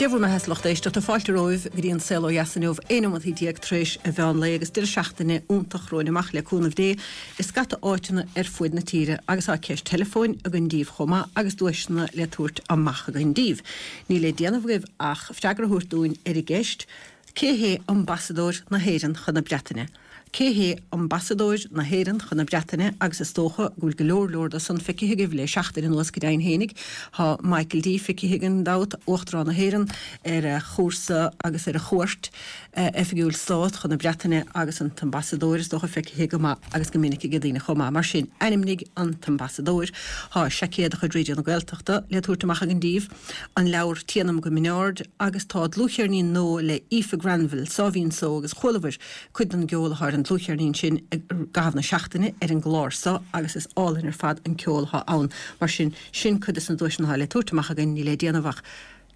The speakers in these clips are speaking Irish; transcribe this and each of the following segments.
Dia bhur mbeatha a lucht éisteachta, fáilte romhaibh go dtí an Saol Ó Dheas inniu, 11 nóimeataí tar éis an mheán lae agus deireadh seachtaine iontach romhainn amach le cúnamh Dé i scata áiteanna ar fuaid na tíre agus tá ceist teileafóin againn díbh chomh maith agus duaiseanna le tabhairt amach againn díbh. Níl le déanamh agaibh ach freagra a thabhairt dúinn ar an gceist, Cé hé Ambasadóir na hÉireann chun na Breataine? Cé hé Ambasadóir na hÉireann chun na Breataine agus is dócha go bhfuil go leor leor de san feicthe agaibh le seachtain anuas go deimhin fhéinig. Tá Michael D feicthe gan dabht, Uachtarán na hÉireann, ar a chúrsa agus ar a chuairt oifigiúil stát chun na Breataine agus an tAmbasadóir is dócha feicthe go maith agus go minic ag daoine chomh maith. Mar sin, ainmnigh an tAmbasadóir. Tá seaicéad de chuid Raidió na Gaeltachta le tabhairt amach againn díbh. an leabhar Téanam go Mín Aird agus tá dlúthcheirnín nua le Aoife Granville, Sáimhín Só agus chualabhair cuid den gceol atá ar an dlúthcheirnín sin i gcaitheamh na seachtaine ar an gclár so agus is álainn ar fad an ceol atá ann. Mar sin, sin cuid des na duaiseanna atá le tabhairt amach againn, níl le déanamh ach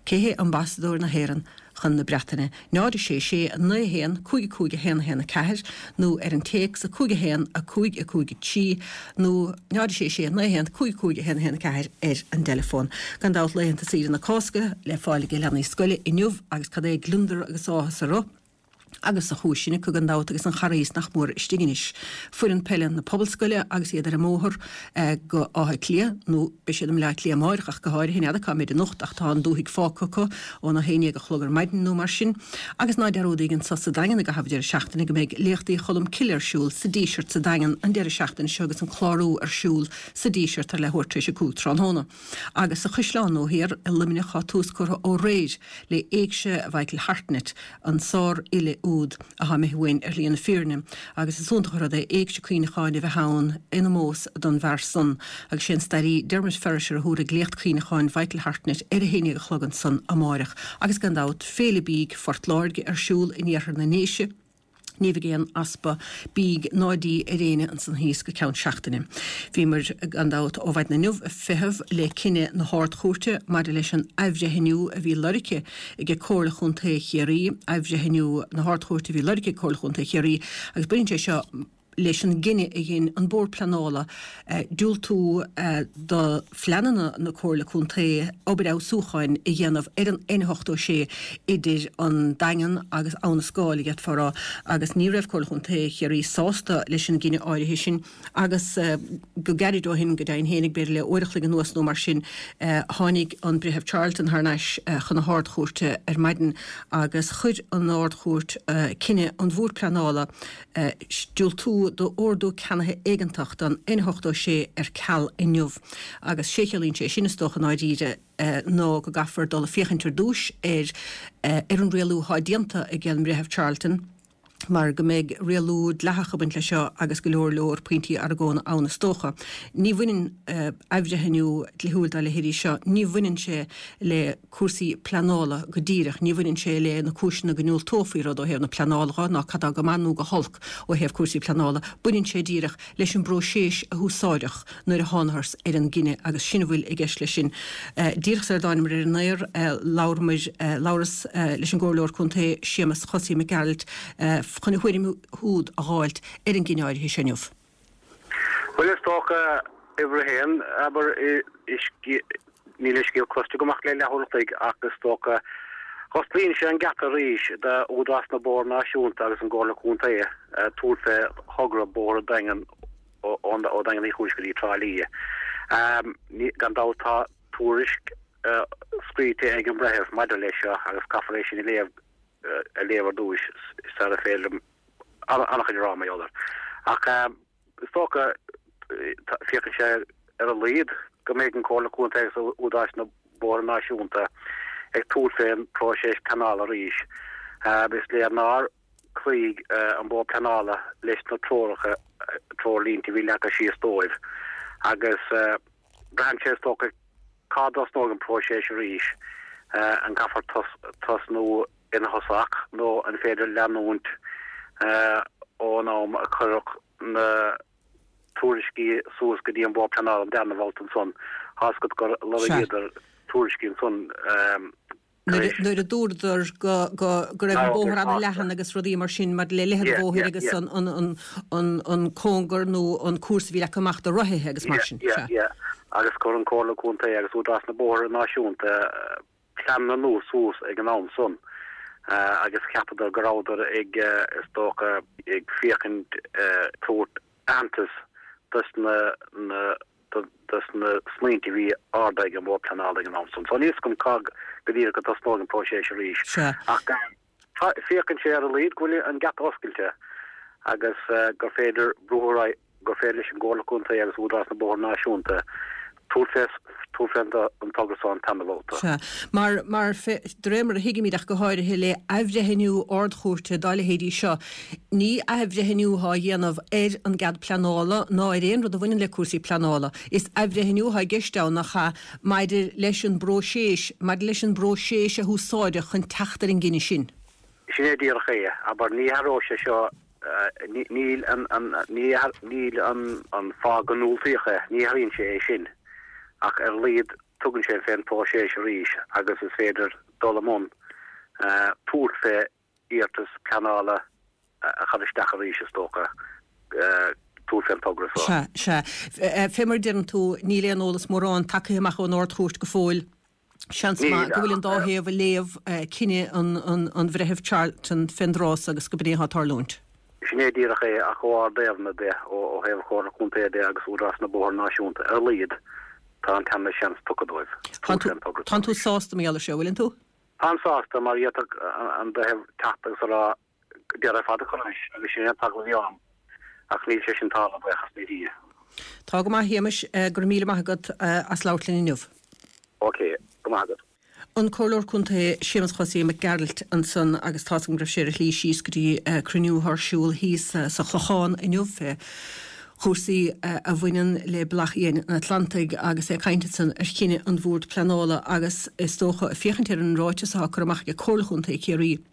Cé hé Ambasadóir na hÉireann chun na Breataine? 0 6 6 9 1 5 5 1 1 4 nó ar an téacs 5 1 5 5 3 nó 0 6 6 9 1 5 5 1 1 4 ar an dteileafón. Gan dabht laethanta saoire na Cásca le fáil ag leanaí scoile inniu agus cad é gliondar agus áthas orthu agus sa chúis sin acu gan dabht agus an Charghas nach mór istigh anois. Foireann peile na Pobalscoile agus iad ar an mbóthar go Áth Cliath, nó beidh siad i mBleá Cliath amáireach ach go háirithe, n'fheadar cá mbeid anocht ach tá an dúthaigh fágtha acu óna 11 a chlog ar maidin nó mar sin. Agus ná dearúdaíg anso sa Daingean i gcaitheamh deireadh seachtaine go mbeidh Léachtaí Cholm Cille ar siúl sa Díseart sa Daingean an deireadh seachtaine seo agus an clárú ar siúl sa Díseart ar leathuair tar éis a 5 tráthnóna. Agus sa Chaisleán Nua Thiar i Luimneach tá tús curtha ó réir le Éigse Mhichael Hartnett, an sár-fhile úd athá imithe uainn ar shlí na fírinne, agus is iontach an rud é éigse cuimhneacháin a bheith ann in omós don bhfear san, agus sé an stairí Dermot Ferriter a thabharfaidh léacht cuimhneacháin Mhichael Hartnett ar a haon dhéag a chlog ansan amáireach, agus gan dabht Féile Bídh Phort Láirge ar siúl in iarthar na nDéise. Ní bheidh aon easpa bídh ná dí ar éinne ansan thíos go ceann seachtaine. Bhíomar, gan dabht, ó mhaidin inniu ag feitheamh le cinneadh na hArd-Chúirte maidir leis an athbhreithniú a bhí lorgtha ag Comhairle Chontae Chiarraí, athbhreithniú na hArd-Chúirte a bhí lorgtha ag Comhairle Chontae Chiarraí agus baineann sé seo leis an gcinneadh a dhein an Bord Pleanála diúltú do phleananna na Comhairle Contae obair fheabhsúcháin a dhéanamh ar an N86 idir an Daingean agus Abha na Scáil, a d'fhéadfá a rá, agus ní raibh Comhairle Chontae Chiarraí sásta leis an gcinneadh áirithe sin agus go gairid ó shin, go deimhin fhéinig, b'fhéidir le uair a chloig anuas nó mar sin, tháinig an Breitheamh Charleton thar n-ais chun na hArd-Chúirte ar maidin agus chuir an Ard-Chúirt cinneadh an Bhoird Pleanála diúltú d'ordú ceannaithe éigeantach don N86 ar ceal inniu agus sé chiallaíonn sé sin is dócha i ndáiríre ná go gcaithfear dul ag féachaint ar dtúis ar ar an rialú atá déanta ag an mBreitheamh Charleton mar go mbeidh rialú dleathach ag baint leis seo agus go leor leor pointí argóna ann is dócha. Ní bhaineann athbhreithniú dlíthiúil dá leithéidí seo, ní bhaineann sé le cúrsaí pleanála go díreach. Ní bhaineann sé le na cúiseanna go ndiúltófaí rud ó thaobh na pleanála dho, ná cad tá go maith nó go holc ó thaobh cúrsaí pleanála. Baineann sé díreach leis an bpróiseas a húsáideadh nuair a thánathars ar an gcinneadh agus sin a bhfuil i gceist leis sin. Díreach sar a dtáinamar ar an aer, labhramar, labhras leis an gComhairleoir Contae Séamus Chosaí Mac Gearailt chun a thuairim siúd a dh'fháilt ar an gcinneadh áirithe seo inniu. Bhuel, is dócha, uimhir a haon, abair, níl an scéal cloiste agam ach le leathuair an chloig ach is dócha, osclaíonn sé an geata arís d'Údarás na Bóithre Náisiúnta agus an gComhairle Contae tabhairt fé thogra Bóthar an Daingin ó Daingean Uí Chúis go dtí Trá Lí. Gan dabht tá tuairisc scríte ag an mbreitheamh maidir leis seo agus caithfear é sin a léamh a léamh ar dtúis sara féidir liom an-chuid a rá mar gheall air. Ach is dócha, féachann sé ar a laghad go mbeidh an Comhairle Contae agus Údarás na Bóithre Náisiúnta ag tabhairt fén bpróiseas pleanála arís. Is léir nár chloígh an Bord Pleanála leis na treoracha, treoirlínte a bhí leagtha síos dóibh agus braitheann sé is dócha cá dtosnóidh an próiseas arís, an gcaithfear tosnú ina thosach nó an féidir leanúint ón am a cuireadh na tuairiscí suas go dtí an Bord Pleanála an darna babhta ansan. Tá's agat gur lorgaíodar tuairiscí ansan tar éis. Nuair a dúradar go go raibh an bóthar an-leathan agus rudaí mar sin maidir le leithead an bhóthair agus an cóngar nó an cúrsa a bhí leagtha amach do rothaithe agus mar sin. Yeah, yeah, yeah. Agus chuir an Comhairle Contae agus Údarás na Bóithre Náisiúnta. pleananna nua suas ag an am san agus cheapadar go rabhadar ag, is dócha, ag féachaint tabhairt aitheantas dos na na dos na smaointe a bhí ardaithe ag an Bhord Pleanála ag an am san. So níl 'fhios agam cá go díreach go dtosnóidh an próiseas arís ach féachann sé ar a laghad go bhfuil an geata oscailte agus gur féidir brú ar aghaidh gur féidir leis an gComhairle Contae agus Údarás na Bóithre Náisiúnta tabhairt fé tabhairt fé an togra so an tarna babhta. Sea. Mar, mar, de réir mar a thuigimid ach go háirithe le athbhreithniú Ard-Chúirte dá leithéidí seo, ní athbhreithniú atá á dhéanamh ar an gcead pleanála ná ar aon rud a bhaineann le cúrsaí pleanála. Is athbhreithniú atá i gceist ann, nach ea, maidir leis an bpróiseas, maidir leis an bpróiseas a húsáideadh chun teacht ar an gcinneadh sin. Sin é díreach é. Abair, ní athróidh sé seo Níl an níl an fáth go ndiúltaíodh é, ní athraíonn sé é sin, ach ar a laghad tugann sé fén bpróiseas arís agus is féidir dul i mbun tabhairt fé iarratas pleanála a chur isteach arís is dócha, tabhairt fén togra so. Sea, sea. Fé mar a deireann tú, níl aon eolas mórán tagtha amach ón Ard-Chúirt go fóill. Seans maith go bhfuil an dá thaobh ag léamh cinneadh an Bhreithimh Charleton fén dtráth so agus go b'in é atá ag tarlúint. Sin é díreach é, ach ó ár dtaobhna de, ó thaobh Chomhairle Contae de agus Údarás na Bóithre Náisiúnta, ar a laghad, tá an tarna seans tugtha dóibh. Tánn tú sásta mar gheall air seo, bhfuileann tú? Táim sásta, mar d'fhéadfadh an breitheamh teacht agus a rá deireadh ar fad a chur leis agus sin é an t-eagla a bhí orm ach níl sé sin tarlaithe, buíochas le Dia. Tá go maith, a Shéamais, go raibh míle maith agat as labhairt linn inniu. Ok, go maith agat. An Comhairleoir Contae Séamus Chosaí Mac Gearailt ansan agus tá's agam go raibh sé ar a shlí síos go dtí cruinniú atá ar siúl thíos sa Chlochán inniu fé chúrsaí a bhaineann le Bealach Fhiáin an Atlantaigh agus é ag caint ansan ar chinneadh an Bhoird Pleanála agus is dócha féachaint ar an ráiteas atá curtha amach ag Comhairle Chontae Chiarraí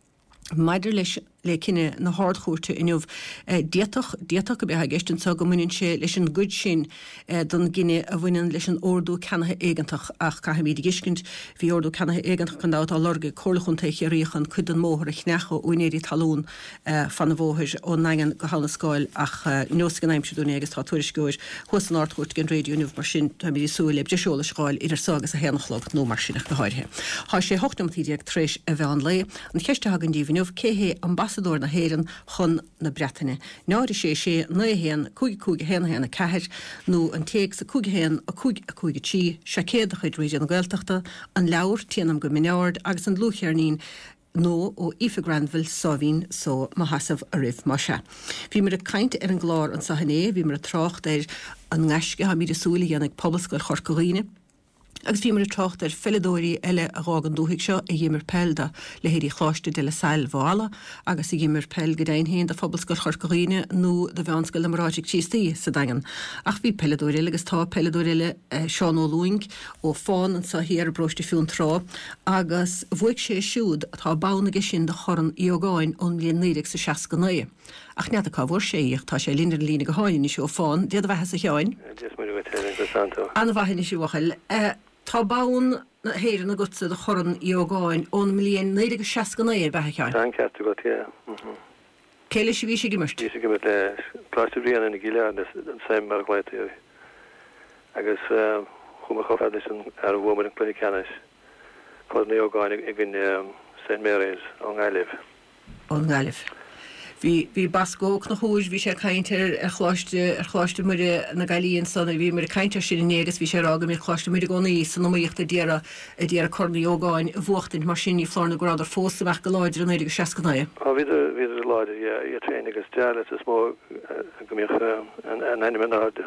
Maidir leis le cinneadh na hArd-Chúirte inniu, d'fhéadfadh, d'fhéadfadh go mbeadh i gceist anseo go mbaineann sé leis an gcuid sin den gcinneadh a bhaineann leis an ordú ceannaithe éigeantach ach caithfimid a thuiscint, bhí ordú ceannaithe éigeantach gan dabht á lorg ag Comhairle Chontae Chiarraí chun cuid den mbóthar a cheannach ó úinéirí talún fan an bhóthair ón nDaingean go hAbha na Scáil ach neosfaidh an aimsir dúinn é agus tá tuairisceoir thuas san Ard-Chúirt ag an raidió inniu mar sin táimid ag súil le breis eolais a dh'fháil idir so agus a haon a chlog nó mar sin ach go háirithe. Tá sé 18 neomataí tar éis a mheán lae. An cheist atá againn díbh inniu, cé hé Ambasadóir na hÉireann chun na Breataine? 0 6 6 9 1 5 5 1 1 4 nó an téacs 5 1 5 5 3, Seaicéad de chuid Raidió na Gaeltachta, an leabhar Téanam go Min Ard agus an dlúthcheirnín nó ó Aoife Granville, Sáimhín Só Mo Sheasamh Oraibh, más ea. Bhíomar ag caint ar an gclár anseo inné, bhíomar ag trácht ar an ngaisce atáimid ag súil a dhéanfaidh Pobalscoil Chorca Dhuibhne, Agus bhíomar ag trácht ar pheileadóirí eile a dh'fhág an dúthaigh seo, a dh'imir peil do leithéidí Choláiste De La Salle Mhaigh Eala agus a dh'imir peil go deimhin féin do Phobalscoil Chorca Dhuibhne nó do Mheánscoil na mBráithre Críostaí sa Daingean. Ach bhí peileadóir eile agus tá peileadóir eile, Seán Ó Lúing ó Fán anso thiar i bparóiste Fionntrá agus bhuaigh sé siúd, tá bonn aige sin do Chorn Uí Ógáin ón mbliain 1969. Ach n'fheadar cá bhfuair sé í, ach tá sé linn ar an líne gutháin anois ó Fán. Dia do bheatha-sa a Sheáin. Dia is Muire dhuit, a Helen, conas tánn tú? An-mhaith anois, a bhuachaill. Tá bonn na hÉireann agatsa do Chorn Uí Ógáin ón mbliain 1969, ar b'ea, a Sheáin? Tá an ceart agat, yeah. Mhm. Cé leis a bhís ag imirt? Bhíos ag imirt le Coláiste Bhriain i gCill Airne, an SEM mar a ghlaotaí air. Agus chuamar chomh fada leis an fhear a bhuamar an cluiche ceannais, Corn Uí Ógáin i gcoinne St Mary's ón nGaillimh. ón nGaillimh. Bhí, bhí Bosco Ó Conchúir, bhí sé ag caint ar, ar Choláiste, ar Choláiste Muire na Gaillimhe ansan, bhí muid ag caint air sin inné agus bhí sé ag rá go mbíodh Coláiste Muire i gcónaí san iomaíocht a d'iarraidh, a d'iarraidh Corn Uí Ógáin a bhuachtaint, mar sin ní foláir nó go rabhadar fós amach go láidir i 1969. Á, bhíodar, bhíodar láidir, yeah, iad féin agus Jarlath is mó go mbíodh a n-ainm in airde.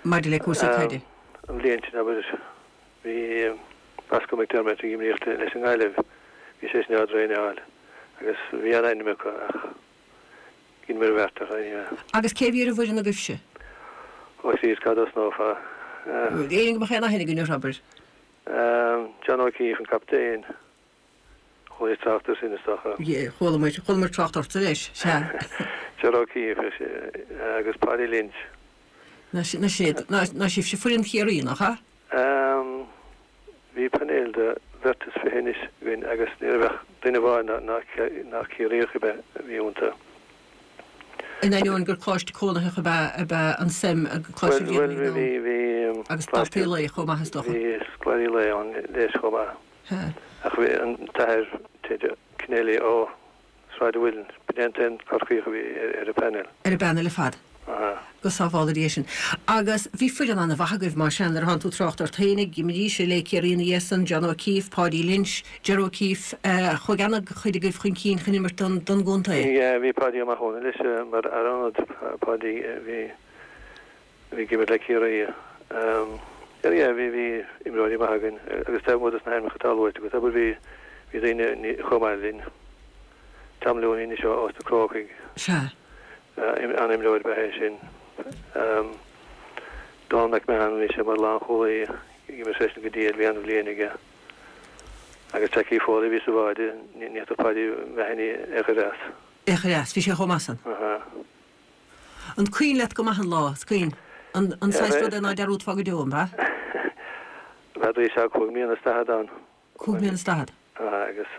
Maidir le cúrsaí caide. An bhliain sin, abair, Bhí Bosco McDermott ag imríocht leis an nGaillimh, bhí seisean á dtraenáil agus bhí an-ainm acu ach dheineamar an bheart ach. Agus cé a bhí ar an bhfoireann agaibhse? Ó Chríost, cá dtosnófá? Éinne go mbeadh aon aithne againn orthu, abair? John O'Keefe an captaen. Chuala trácht air sin is dócha. Chuala muid, chuala muid trácht ortsa leis, sea. John O'Keefe agus Paddy Lynch. Ná sibhse foireann Chiarraí, nach ea? Bhí painéal de bheirt is 20 anois againn agus ní raibh ach duine amháin nach Ciarraíoch ab ea a bhí iontu. In ainneoin gur coláiste cónaitheach ab ea ab ea an SEM, Coláiste Bhriain ag an am, agus daltaí lae chomh maith is dócha. Bhí scoláirí lae ann leis chomh maith. Sea. Ach bhí an t-athair, Ted Kennelly ó Sráid an Mhuilinn, b'in é an t-aon Corcaíoch a bhí ar an bpainéal. Ar an bpainéal ar fad. Aha. Go sábhála Dia sinn. Agus bhí foireann an-mhaith agaibh, más ea, nuair atánn tú ag trácht ort fhéinig, imrídís le Ciarraí ina dhiaidh san, John O'Keeffe, Páidí Lynch, Ger O'Keeffe, chuaigh an-chuid agaibh chun cinn chun imirt don gcontae. Yeah, bhí Páidí Ó Mathúna leis mar fhear ionaid, Páidí, bhí, bhí ag imirt le Ciarraí. Yeah, yeah, bhí, bhí imreoirí maithe againn agus taobh amuigh dos na hainmneacha atá luaite agat, abair, bhí, bhí daoine chomh maith linn. Tom Looney anois ós na Crócaigh. Sea. An-imreoir ab ea é sin. Donal McMahon, bhí sé mar lánchúlaí, d'imir seisean go diail, bhí an-bhliain aige. Agus Jackie Foley a bhí sa bháide, ní fhéadfadh Paddy Mahony é a chur as. É a chur as, bhí sé chomh maith san. Aha. An cuimhin leat go maith an lá? Is cuimhin. An an saghas rud é ná dearúdfá go deo, an ea? Bheadh sé 45 mbliana ann. 45 mbliana. Agus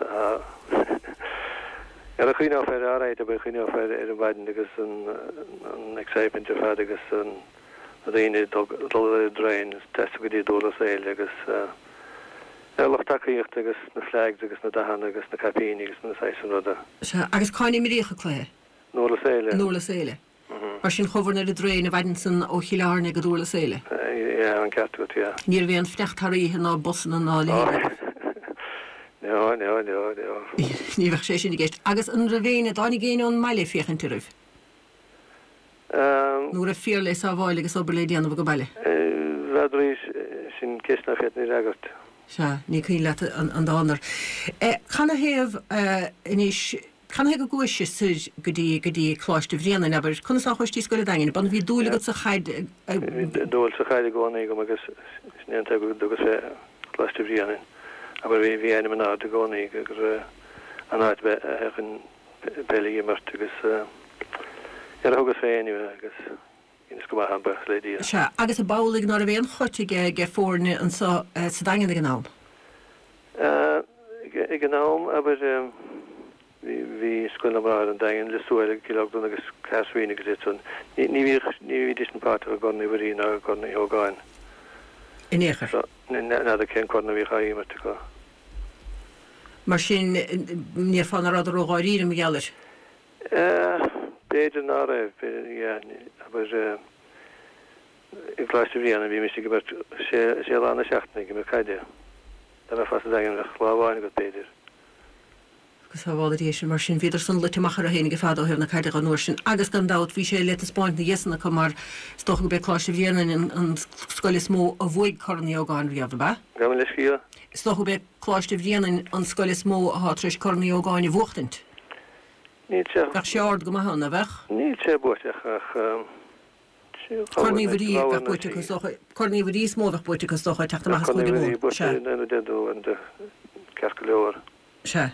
ar a chuimhneofar air, alright, abair, chuimhneofar air ar an mhaidin agus an excitement ar fad agus na daoine ag dul ar an dtraein ag taisteal go dtí Durlas Éile agus ar lucht tacaíochta agus na flags agus na dathanna agus na caipíní agus na saghas san ruda. Sea, agus cá n-imríodh an cluiche? I nDurlas Éile. I nDurlas Éile. Mar sin chuabhair ar an dtraein an mhaidin san ó Chill Airne go Durlas Éile. Yeah, an ceart agat, yeah. Ní raibh aon fanacht thar oíche ná busanna ná a leithéid agaibh. No, no, no, no. Ní bheadh sé sin i gceist. Agus an raibh éinne, dtáinig éinne ón mbaile ag féachaint oraibh? Nó raibh fir le sábháil agus obair le déanamh ag baile? N'fheadar, sin ceist nach bhféadfainn a fhreagairt. Sea, ní cuimhin leat an dá ndar. Canathaobh anois, canathaobh go gcuais soir go dtí, go dtí Coláiste Bhréanainn, abair, conas a chuais dtí Scoil an Daingin? B'ann bhí dúil agat sa chaid? Bhí dúil sa chaid i gcónaí agam agus sin é an tuige go dtugas fé Choláiste Bhréanainn. Abair, bhí, bhí ainm in airde i gcónaí gur an áit a bheadh chun peil a imirt agus ar a thugas fé anyway agus Dheineas go maith ann, buíochas le Dia. Sea, agus ab amhlaidh ná raibh aon choit ag ag foirne anso sa Daingean ag an am? Ag an am, abair, bhí, bhí Scoil na mBráithre an Daingean, Lios Tuathail, Cill Orglan agus Cahersiveen agus iad san. Ní, ní bhíodh, ní bhídís an páirteach i gCorn Uí Mhuirí ná i gCorn Uí Ógáin. In aon chor. So, n'fheadar cén corn a bhíodh á imirt acu. Mar sin, ní déarfá ná rabhadar ró-dháiríre mar gheall air. B'fhéidir ná raibh, b'fhéidir, yeah, abair, i gColáiste Bhréanainn bhímis ag imirt sé, sé lá na seachtaine ag imirt caide. Dá mbeifeá sa Daingean bheadh lá amháin agat b'fhéidir. Go sábhála Dia sinn, mar sin bhíodar san luite amach orthu fhéinig ar fad ó thaobh na caide an uair sin agus gan dabht bhí sé le taispeáint ina dhiaidh san acu mar is dócha gurb é Coláiste Bhréanainn an, an scoil is mó a bhuaigh Corn Uí Ógáin riamh, ab ea? Gabh mo leithscéal. Is dócha gurb é Coláiste Bhréanainn an scoil is mó atá tar éis Corn Uí Ógáin a bhuachtaint. Níl sé. Bheadh sé ard go maith ann, a bheadh? Níl sé buaite ach Corn Uí Mhuirí a bheadh buaite acu is dócha. Corn Uí Mhuirí is mó a bheadh buaite acu is dócha ag teacht amach as Chúige Mumhan. Sea. Ceart go leor. Sea.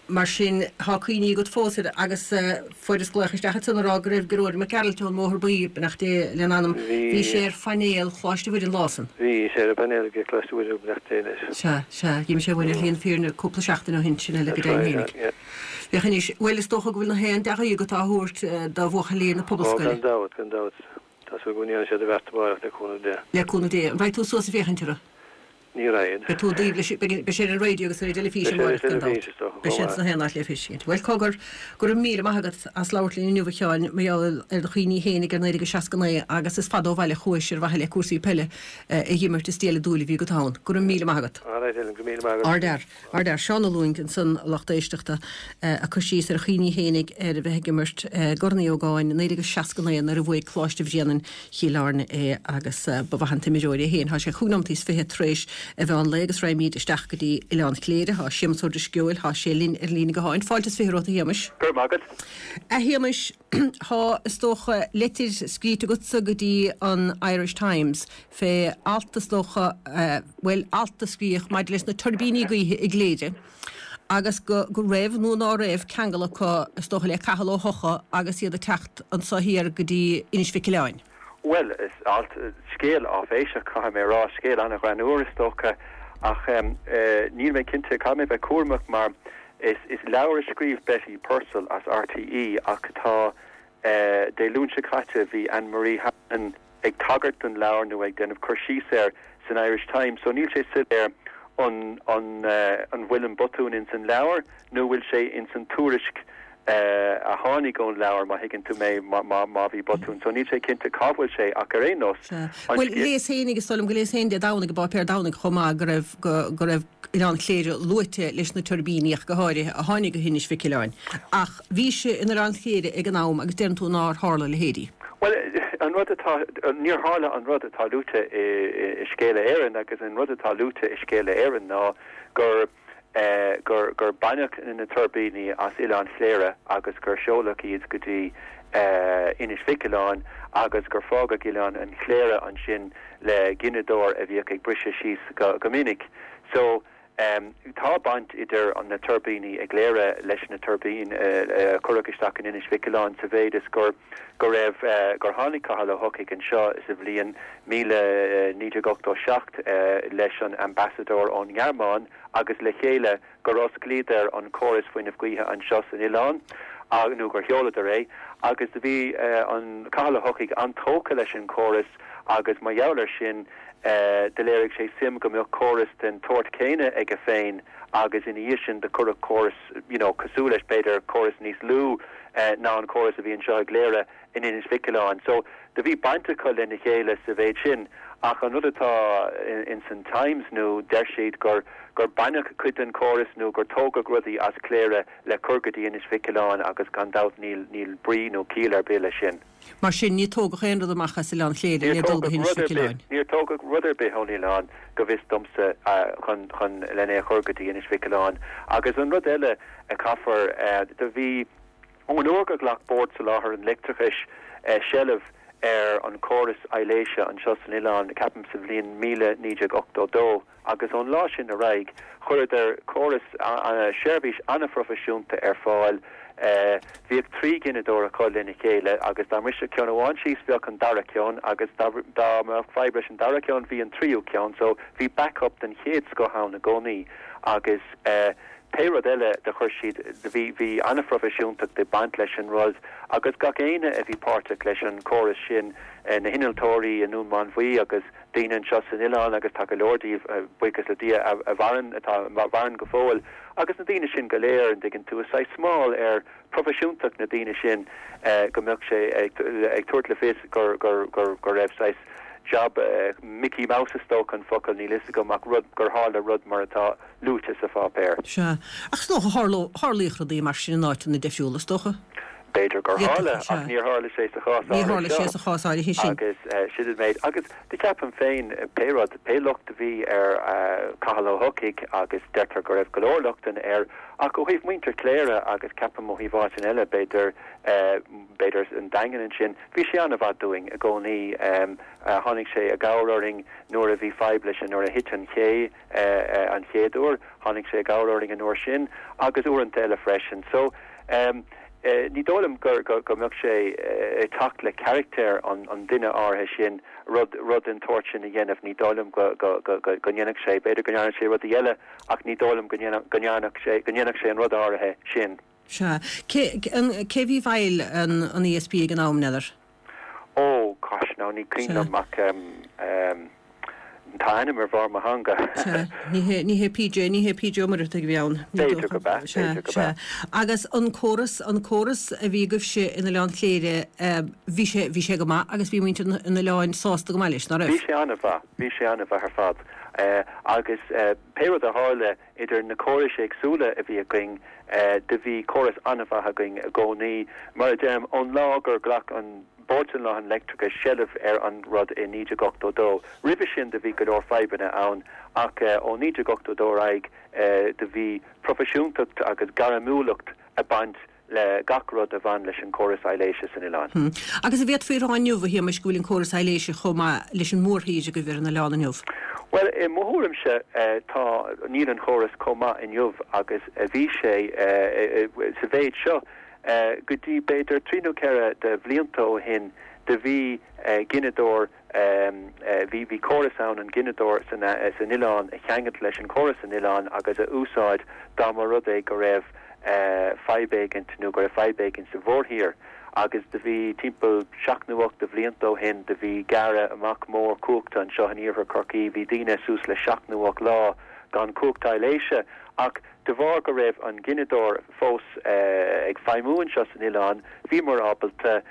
Mar sin, tá cuimhní agat fós air agus fuaireas glaoch isteach ansan a rá go raibh Gearóid Mac Gearailt ón mBóthar Buí, beannacht Dé lena anam, bhí sé ar phainéal Choláiste Mhuire an lá san. Bhí sé ar an bpainéal ag Coláiste Mhuire, beannacht Dé leis. Sea, sea, d'imigh sé uainn ar shlí na fírinne cúpla seachtain ó shin, sin eile go deimhin fhéinig. Féach anois, bhuel is dócha go bhfuil na haon dea-ghuí agat á thabhairt do bhuachaillí na Ó, Pobalscoile. gan dabht, gan dabht. Tá súil go ndéanfaidh siad a bheart amárach le cúnamh Dé. Le cúnamh Dé. An raghaidh tú suas ag féachaint orthu? Ní raghaidh. Beidh tú i dtaobh leis, beidh sé ar an raidió agus ar an dteilifís amárach gan dabht. Beidh sé sna haon áit le feiscint. Bhuel, cogar, go raibh míle maith agat as labhairt linn inniu a Sheáin, mar gheall ar do chuimhní fhéinig ar 1969 agus is fada ó bhaile a chuais ar mhaithe le cúrsaí peile a dh'imirt is diail an dúil a bhí agat ann. Go raibh míle maith agat. Alright Helen, go raibh míle maith agat. Ardfhear. Ardfhear. Seán Ó Lúing ansan, a lucht éisteachta, ag cur síos ar a chuimhní fhéinig ar a bheith ag imirt i gCorn Uí Ógáin 1969 nuair a bhuaigh Coláiste Bhréanainn Chill Airne é agus ba mhaith an t-imreoir é féin. Tá sé chúig nóimeataí is fiche tar éis a mheán lae agus raghaimid isteach go dtí Oileán Chléire. Tá Séamus Ó Drisceoil, tá sé linn ar an líne gutháin. Fáilte is fiche romhat a Shéamais. Go raibh maith agat. A Shéamais, tá, is dócha, leitir scríte agatsa go dtí an Irish Times fé alt is dócha, bhuel, alt a scríodh maidir leis na tuirbíní gaoithe i gCléire agus go go raibh nó ná raibh ceangal acu is dócha le Cathal Ó hEochaidh agus iad ag teacht anso thiar go dtí Inis Mhic Oileáin. Bhuel, is alt, scéal áiféiseach, caithfidh mé a rá, scéal an-ghreannmhar is dócha, ach níl mé cinnte, caithfidh mé bheith cúramach mar is is leabhar a scríobh Betty Purcell as RTÉ ach tá, Dé Luain seo caite bhí Anne Marie Hanrahan, ag tagairt don leabhar nó ag déanamh cur síos air san Irish Times so níl sé soiléir. An an an bhfuil an botún ins an leabhar nó bhfuil sé ins an tuairisc a tháinig ón leabhar, má thuigeann tú mé, má má bhí botún. So níl sé cinnte cá bhfuil sé ach ar aon nós, Sea. an Bhuel, léas féinig, is dóigh liom go léas féin Dé Domhnaigh i bpáipéar Domhnaigh chomh maith go raibh go go raibh Oileán Chléire luaite leis na tuirbíní ach go háirithe a tháinig go hInis Mhic Uileáin. Ach bhís in Oileán Chléire ag an am agus deireann tú nár tharla a leithéidí. Bhuel, an rud atá, níor tharla an rud atá luaite i Scéala Éireann agus an rud atá luaite i Scéala Éireann ná gur, gur, gur baineadh na tuirbíní as Oileán Chléire agus gur seoladh iad go dtí Inis Mhic Uileáin agus gur fágadh Oileán an Chléire ansin le gineadóir a bhíodh ag briseadh síos go minic. So, Tá baint idir na tuirbíní i gCléire leis na tuirbíní a cuireadh isteach in Inis Mhic Uileáin sa mhéid is gur go raibh gur tháinig Cathal Ó hEochaidh anseo sa bhliain 1987 leis an ambassadóir ón nGearmáin agus le chéile gur osclaíodar an córas fuinnimh gaoithe anseo san oileán nó gur sheoladar é agus do bhí an Cathal Ó hEochaidh an-tógtha leis an chóras agus mar gheall air sin do léirigh sé suim go mbeadh córas den tsórt céanna aige féin agus ina dhiaidh sin do cuireadh córas you know cosúil leis, b'fhéidir córas níos lú ná an córas a bhí anseo i gCléire in Inis Mhic Uileáin. So do bhí baint acu lena chéile sa mhéid sin ach an rud atá ins an Times nó deir siad gur gur baineadh cuid den chóras nó gur tógadh rudaí as Cléire le cur go dtí Inis Mhic Uileáin agus gan dabht níl níl brí nó ciall ar bith leis sin. Mar sin, níor tógadh aon rud amach as Oileán Chléire le dul go hInis Mhic Uileáin. Níor tógadh rud ar bith ón oileán, go bhfios domsa, chun, chun, len é a chur go dtí Inis Mhic Uileáin. Agus an rud eile a chaithfear, do bhí, ón uair gur ghlac Bord Soláthair an Leictreachais seilbh ar an chóras aibhléise anseo san oileán, ceapaim sa bhliain 1982, agus ón lá sin ar aghaidh chuireadar córas, seirbhís an-phroifisiúnta ar fáil. Bhíodh 3 ghineadóir acu lena chéile agus dá mbrisfeadh ceann amháin síos bheadh an dara ceann agus dá mbeadh fadhb leis an dara ceann bhí an tríú ceann so bhí backup den chéad scoth ann i gcónaí agus pé rud eile do chuir siad, bhí, bhí an-phroifisiúntacht ag baint leis an rud agus gach éinne a bhí páirteach leis an chóras sin, na hinnealtóirí i nDún Mánmhaí agus. daoine anseo san oileán agus tá go leor díobh, buíochas le Dia, a mhaireann, atá, a mhaireann go fóill agus na daoine sin go léir, an dtuigeann tú, is saghas smál ar phroifisiúntacht na daoine sin go mbeadh sé ag tabhairt le fios gur, gur, gur, go raibh saghas job Mickey Mouse is dócha an focal, níl fhios agam ach rud, gur tharla rud mar atá luaite sa pháipéar. Sea. Ach is dócha, tharlódh, tharlaíodh rudaí mar sin in áiteanna difriúla, is dócha? B'fhéidir gur tharla, ach níor tharla sé sa chás áirithe seo. Níor tharla sé sa chás áirithe sin. Agus sin an méid. Agus do cheapaim féin, pé rud, pé locht a bhí ar Cathal Ó hEochaidh, agus deirtear go raibh go leor lochtanna air, ach ó thaobh muintir Chléire agus ceapaim ó thaobh áiteanna eile, b'fhéidir, b'fhéidir an Daingean ansin, bhí sé an-mhaith dúinn i gcónaí. Tháinig sé i gcabhair orainn nuair a bhí fadhb leis, nuair a thit an ché an chéad uair, tháinig sé i gcabhair orainn an uair sin agus uaireanta eile freisin. So, Ní dóigh liom go mbeadh sé ag teacht le carachtar an duine áirithe sin rud rud den tsórt sin a dhéanamh. Ní dóigh liom go ndéanfadh sé. B'fhéidir go ndearna sé rudaí eile ach ní dóigh liom go ndéanfadh sé go ndéanfadh sé an rud áirithe sin. Sea. Cé cé a bhí i bhfeighil an ESB ag an am, n'fheadar? Ó, gosh, now ní cuimhin liom ach tá a ainm ar bharr mo theanga. Sea, ní hé, ní hé PJ, ní hé PJ Ó Muircheartaigh a bhí ann, ní B'fhéidir dócha. gurb ea, Sea, b'fhéidir gurb sea. ea. Agus an córas, an córas a bhí agaibhse in Oileán Chléire, bhí sé, bhí sé go maith agus bhí muintir an oileáin sásta go maith leis, ná raibh? Bhí sé an-mhaith, bhí sé an-mhaith ar fad. Agus pé rud a tharla, Idir na córais éagsúla a bhí againn, do bhí córas an-mhaith againn i gcónaí. Mar a deirim, ón lá gur ghlac an Bord Soláthair an Leictreachais seilbh ar an rud i 1982. Roimhe sin do bhí go leor fadhbanna ann ach ó 1982 ar aghaidh do bhí proifisiúntacht agus gairmiúlacht ag baint le gach rud a bhain leis an gcóras aibhléise san oileán. Agus an bhféadfaí a rá inniu, a Shéamais, go bhfuil an córas aibhléise chomh maith leis an mórthír agaibh ar an oileán inniu? Bhuel, i mo thuairimse, tá, níl an chóras chomh maith inniu agus a bhí sé sa mhéid seo. Go dtí b'fhéidir trí nó ceithre de bhlianta ó shin do bhí gineadóir, Bhí bhí córas ann an gineadóir san san oileán a cheangailt leis an chóras san oileán agus a úsáid dá mba rud é go raibh fadhb éigint nó go raibh fadhb éigint sa mhórthír. Agus do bhí timpeall seacht nó ocht de bhlianta ó shin do bhí gearradh amach mór cumhachta anseo in iarthar Chorcaí. Bhí daoine suas le seacht nó ocht lá. gan cumhacht aibhléise ach de bharr go raibh an gineadóir fós ag feidhmiú anseo san oileán, bhíomar ábalta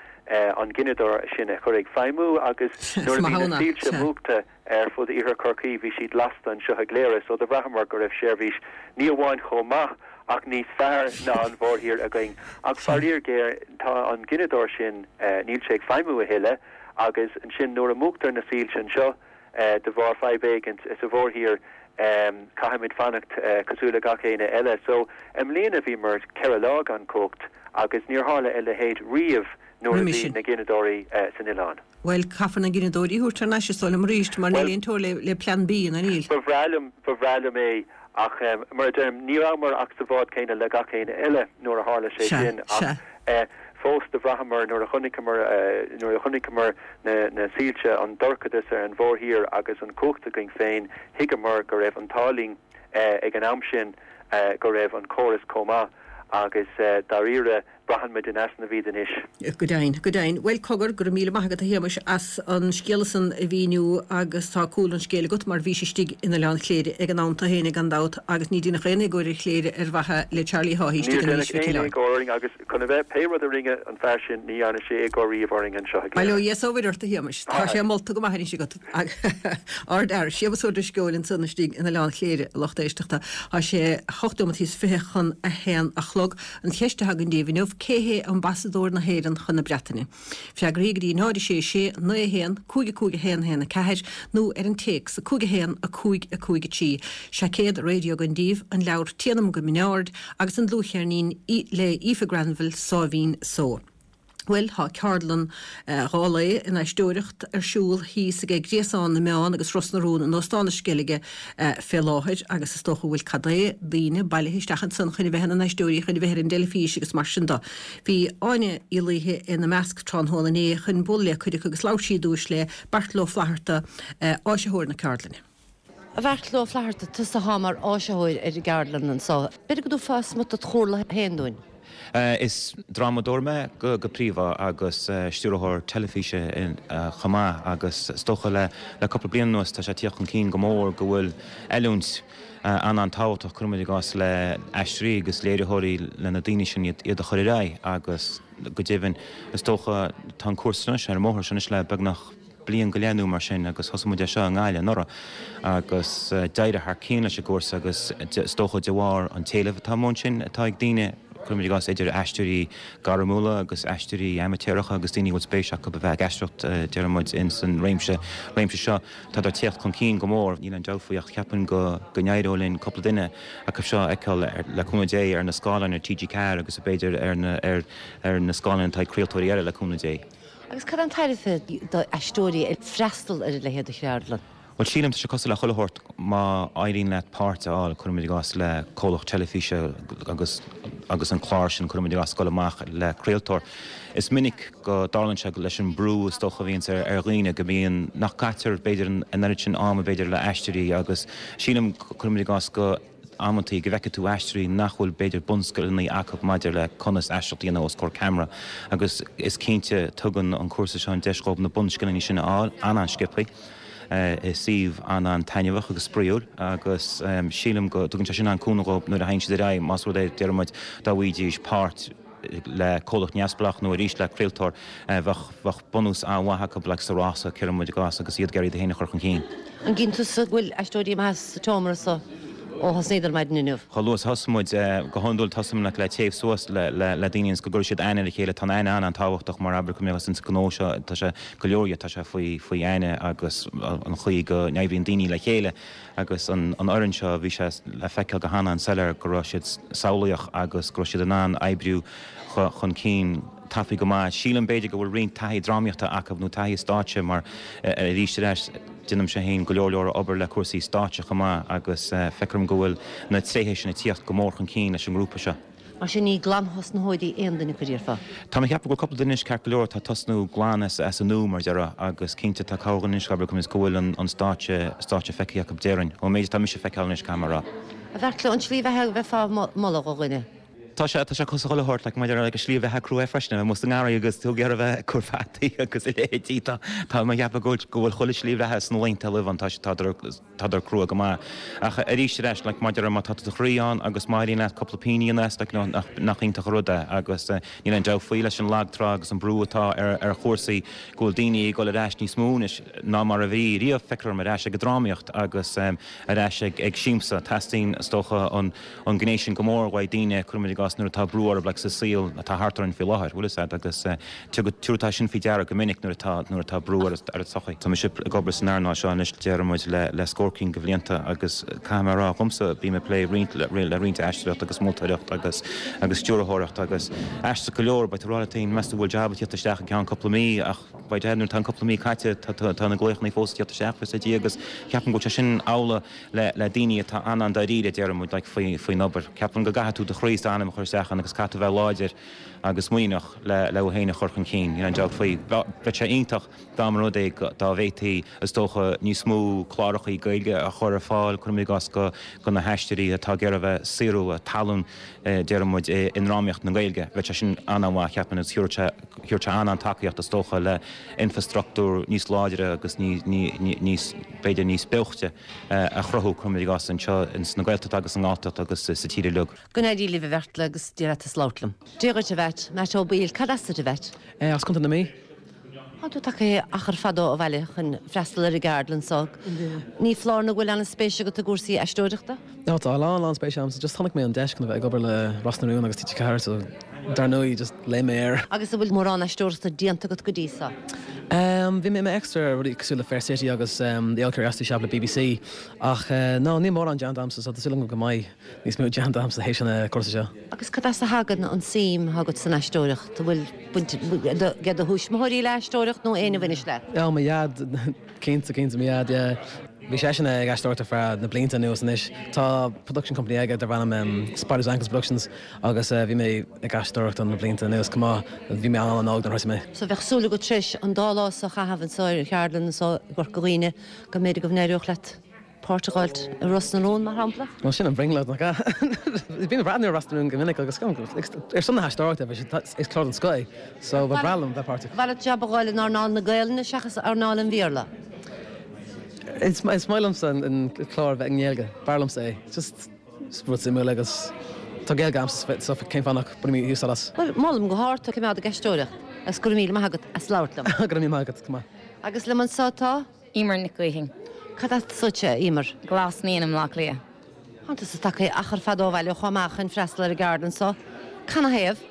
an gineadóir sin a chur ag feidhmiú agus nuair a bhí na soilse múchta ar fud Iarthar Chorcaí bhí siad lasta anseo i gCléire so do bhraitheamar go raibh seirbhís ní amháin chomh maith ach níos fearr ná an mhórthír againn. Ach faraor géar tá an gineadóir sin, níl sé ag feidhmiú a thuilleadh agus ansin nuair a múchtar na soilse anseo de bharr fadhb éigint sa mhórthír caithfimid fanacht cosúil le gach éinne eile. So i mbliana bhíomar 4 lá gan cumhacht agus níor tharla a leithéid riamh nuair a bhí na gineadóirí san oileán. Bhuel, caithfear na gineadóirí a thabhairt thar n-ais is dóigh liom arís, mar níl aon teora le plean B, nó níl? Ba bhreá liom, ba bhreá liom é, ach mar a deirim, ní rabhamar ach sa bhád céanna le gach éinne eile nuair a tharla sé sin, ach fós do bhraitheamar nuair a chonaiceamar, nuair a chonaiceamar na, na soilse, an dorchadas ar an mhórthír agus an chumhacht againn féin, thuigeamar go raibh an t-ádh linn ag an am sin go raibh an córas chomh maith agus dáiríre, Braitheann muid in easnamh iad anois. Go deimhin, go deimhin. Bhuel, cogar, go raibh míle maith agat a Shéamais as an scéala san a mhíniú agus tá cúl an scéil agat mar bhís istigh in Oileán Chléire ag an am tú fhéinig gan dabht agus ní déanadh aon éagóir ar Chléire ar mhaithe le Charlie Haughey istigh in Inis Mhic Níor déanadh aon éagóir orainn agus chun a bheith, pé rud a rinne an fear sin ní dhearna sé éagóir riamh orainn anseo i gCléire. Bail ó Dhia is ó Mhuire ort a Shéamais. Tá sé molta go maith anois agat. Ardfhear. Séamus Ó Drisceoil ansan istigh in Oileán Chléire, a lucht éisteachta. Tá sé hocht nóimeataí is 20 chun a haon a chlog. An cheist atá againn daoibh inniu, cé hé ambasadóir na hÉireann chun na Breataine? Freagraí go dtí 0 6 6 9 1 5 5 1 1 4 nó ar an téacs 5 1 5 5 3. Seaicéad raidió againn daoibh, an leabhar Téanam go Mín Aird agus an dlúthcheirnín le Aoife Granville, Sáimhín Só. Bhuel, tá ceardlann 2 lae in aisteoireacht ar siúl thíos aige Gréasán na Meán agus Ros na Rún in Óstán na Sceilge fé láthair agus is dócha go bhfuil cad é daoine bailithe isteach ansan chun a bheith ina n-aisteoirí, chun a bheith ar an dteilifís agus mar sin de. Bhí Áine Uí Laoithe ina measc tráthnóna inné chun bualadh le cuid acu agus labhair sí i dtús le Beairtle Ó Flatharta, áisitheoir na ceardlainne. A Bheairtle Ó Flatharta, tusa athá mar áisitheoir ar an gceardlann anso. B'fhéidir go dtabharfá smut dot chomhairle féin dúinn. Is drámadóir mé go príomha agus stiúrthóir teilifíse chomh maith agus is dócha le cúpla bliain anuas tá sé ag tíocht chun cinn go mór go bhfuil oiliúint an-an-tábhachtach, cuirimid i gcás, le aisteoirí agus léiritheoirí le na daoine sin iad a chur ar aghaidh agus go deimhin is dócha tá an cúrsa anois ar an mbóthar seo anois le beagnach bliain go leith nó mar sin agus thosaigh muid é seo i nGaillimh anuraidh agus d'éirigh thar cionn leis an gcúrsa agus is dócha de bharr an t-éileamh atá amuigh ansin atá ag daoine, cuirimid i gcás, idir aisteoirí gairmiúla agus aisteoirí amaitéaracha agus daoine a bhfuil spéis acu a bheith ag aisteoireacht, deir muid, ins an réimse, réimse seo, tádar ag tíocht chun cinn go mór, níl aon dabht faoi ach cheapfainn go, go n-éireoidh linn cúpla duine acu seo a fheiceáil le cúnamh Dé ar na scáileáin ar TG4 agus b'fhéidir ar na, ar, ar na scáileáin atá ag craoltóirí eile le cúnamh Dé. Agus cad é an tairbhe d'aisteoirí freastal ar a leithéid de cheardlann? Bhuel, sílim, tá sé cosúil le chuile shórt, má éiríonn leat páirt a fháil, cuirimid i gcás, le comhlacht teilifíse agus agus an clár sin, cuirimid i gcás, ag dul amach le craoltóir. Is minic go dtarlaíonn sé leis an mbrú is dócha a bhíonns ar ar dhaoine go mbíonn, nach gcaitear b'fhéidir an oiread sin ama b'fhéidir le aisteoirí agus sílim, cuirimid i gcás, go. amantaí go bhfeicfidh tú aisteoirí nach bhfuil b'fhéidir bunscileanna acu maidir le conas aisteoireacht a dhéanamh os comhair ceamara agus is cinnte tugann an cúrsa seo an deis dhóibh na bunscileanna sin a fháil an-an-sciobthaí i suíomh an-an-taitneamhach agus spraíúil agus sílim go dtugann sé sin an-cúnamh dhóibh nuair a théann siad ar aghaidh más rud é deir muid dá bhfaighidís páirt le comhlacht neamhspleách nó arís le craoltóir, bheadh, bheadh bunús an-mhaith acu like sa rása, cuireann muid i gcás, agus iad ag iarraidh iad féin a chur chun cinn. An gcíonn tusa go bhfuil aisteoirí maithe sa tseomra so ó thosnaíodar maidin inniu? Chomh luath is a thosaigh muid, go hiondúil tosaíonn like le téamh suas le, le, le daoine ionas go gcuirfidh siad aithne ar a chéile. Tá an aithne an-an-tábhachtach mar abair go mbeadh ins an gnó seo, tá sé, go leor dhe, tá sé faoi, faoi aithne agus an chaoi go n-oibríonn daoine le chéile. Agus an fhoireann seo, bhí sé le feiceáil go han-an-soiléir go raibh siad samhlaíoch agus go raibh siad in ann oibriú chun cinn tapaidh go maith. Sílim, b'fhéidir, go bhfuil roinnt taithí drámaíochta acu nó taithí stáitse mar, arís ar ais, déanaimse féin go leor leor obair le cúrsaí stáitse chomh maith agus feicim go bhfuil na tréithe sin ag tíocht go mór chun cinn leis an ngrúpa seo. Mar sin, ní glanthosnaitheoirí aon duine acu, déarfá. Tá mé ag ceapadh go bhfuil cúpla duine anois ceart go leor atá ag tosnú glan as an nua, mar a déarfá, agus cinnte tá corrdhuine anois, abair, go bhfuil an stáitse, stáitse feicthe acu déarfainn, ón méid atá mise a feiceáil anois, caithfidh mé a rá. A Bheairtle, an tslí bheatha a bheifeá a mholadh do dhuine? Tá sé, tá sé cosúil chuile shórt, like, maidir le, like, an slí bheatha crua freisin, a bheith amuigh sa ngarraí agus tú ag iarraidh a bheith ag cur fataí agus a leithéidí, tá, tá mé ag ceapadh go bhfuil, go bhfuil chuile slí bheatha sna laethanta roimh an, tá sé, tádar, tádar crua go maith. Ach arís ar ais, like, maidir le má tá do chroí ann agus má éiríonn leat cúpla pingin a dhéanamh as, like, you know, nach, nach iontach an rud é agus níl aon dabht faoi leis an lag trá agus an brú atá ar, ar chúrsaí go bhfuil daoine ag dul ar ais níos mó anois ná mar a bhí riamh, feictear dom ar ais ag an drámaíocht agus ar ais ag, ag siamsa. Teastaíonn, is dócha, an. an gné sin go mór uaidh daoine, cuirimid i gcás, nuair atá brú orthu like sa saol atá thart orainn faoi láthair, bhfuil fhios a'd, agus tabharfaidh tú sin faoi deara go minic nuair atá, nuair atá brú ar an tsochaí. Tá mise ag obair san earnáil seo anois déarfaidh muid le, le scór cinn de bhlianta agus caithfidh mé a rá dhomsa, bím ag plé roinnt, le roinnt aisteoireacht agus moltóireacht agus, agus stiúrthóireacht agus aisteach go leor, beidh tú ag rá leat féin, meas tú bhfuil jab ag tíocht isteach i gceann cúpla mí ach by dad nuair atá an cúpla mí caite tá, tá, tá na glaochanna fós ag tíocht isteach, bhfuil fhios a'd, agus ceapaim go bhfuil sé sin amhlaidh le le daoine atá an-an-dáiríre, déarfaidh muid, like, faoi faoin obair. Ceapaim go gcaithfidh tú do chroí is d'anam a chur isteach ann agus caithfidh tú bheith láidir agus muiníneach le le thú féin a chur chun cinn, níl aon dabht faoi. Bheadh sé iontach dá mba rud é go dá bhféadfaí, is dócha, níos mó clárachaí Gaeilge a chur ar fáil, cuirim i gcás, go go na haisteoirí atá ag iarraidh a bheith saothrú a dtallann, déarfaidh muid, i i ndrámaíocht na Gaeilge. Bheadh sé sin an-an-mhaith, cheapfainn, agus thabharfadh sé thabharfadh sé an-an-tacaíocht, is dócha, le infrastruchtúr níos láidre agus níos, b'fhéidir, níos beoichte a chruthú, cuirim i gcás, anseo ins na Gaeltachta agus sa nGalltacht agus sa tír uilig. Go n-éirí libh a Bheartla agus Dia leat as labhairt liom. Dia dhuit a Mheait, Matt Ó Baoill, cad as duit a Mheait? As Contae na Mí. Tá tú tagtha achar fada ó bhaile chun freastal ar an gceardlann seo. Ní foláir nó go bhfuil an-spéis agat i gcúrsaí aisteoireachta? No, tá a lán, lán spéise a'msa. Just chonaic mé an deis chun a bheith ag obair le Ros na Rún agus TG4 so dar ndóigh just léim mé air. Agus an bhfuil mórán aisteoireachta déanta agat go dtí seo? Ehm, bhí mé i m'extra ar rudaí cosúil le Fair City agus The Old Curiosity Shop le BBC ach no, níl mórán déanta a'msa so tá súil agam go mbeidh níos mó déanta a'msa théis an cúrsa seo. Agus cad as a thagann an suim atá agat san aisteoireacht? An bhfuil baint ag do thuismitheoirí le aisteoireacht nó éinne a bhaineas leat? Oh, mo dhaid, cinnte, cinnte, mo dhaid, yeah. Bhí seisean ag aisteoireacht ar feadh na blianta anuas anois. Tá production company aige darb ainm Spiders Ankles Productions agus bhí mé ag aisteoireacht dó na blianta anuas chomh maith. Bhí mé an-an-óg nuair a thosaigh mé. So bheadh súil agat tar éis an dá lá so a chaitheamh anseo ar an cheardlann anseo i gCorca Dhuibhne go mb'fhéidir go n-éireodh leat páirt a dh'fháilt i Ros na Rún, mar shampla? Bhuel sin an bhrionglóid, nach ea? Bím ag breathnú ar Ros na Rún go minic agus ar son na haisteoireachta is clár den scoth é so ba bhreá liom bheith páirteach. Ba mhaith leat jab a dh'fháil in earnáil na Gaelainne seachas earnáil an Bhéarla? Is maith liomsa an clár a bheith i nGaeilge, b'fhearr liomsa é. Just rud suimiúil agus tá Gaeilge a'msa so cén fáth nach mbainfinn úsáid as? Bhuel, molaim go hard tú coimeád ag aisteoireacht agus go raibh míle maith agat as labhairt liom. Go raibh míle maith agat, go maith. Agus liom anseo tá? Emer Nic Gaoithín. Cad as duitse, a Emer? Glas Naíon i mBleá Cliath. Tánn tusa tagtha achar fada ó bhaile chomh maith chun freastal ar an gceardlann seo. Canathaobh?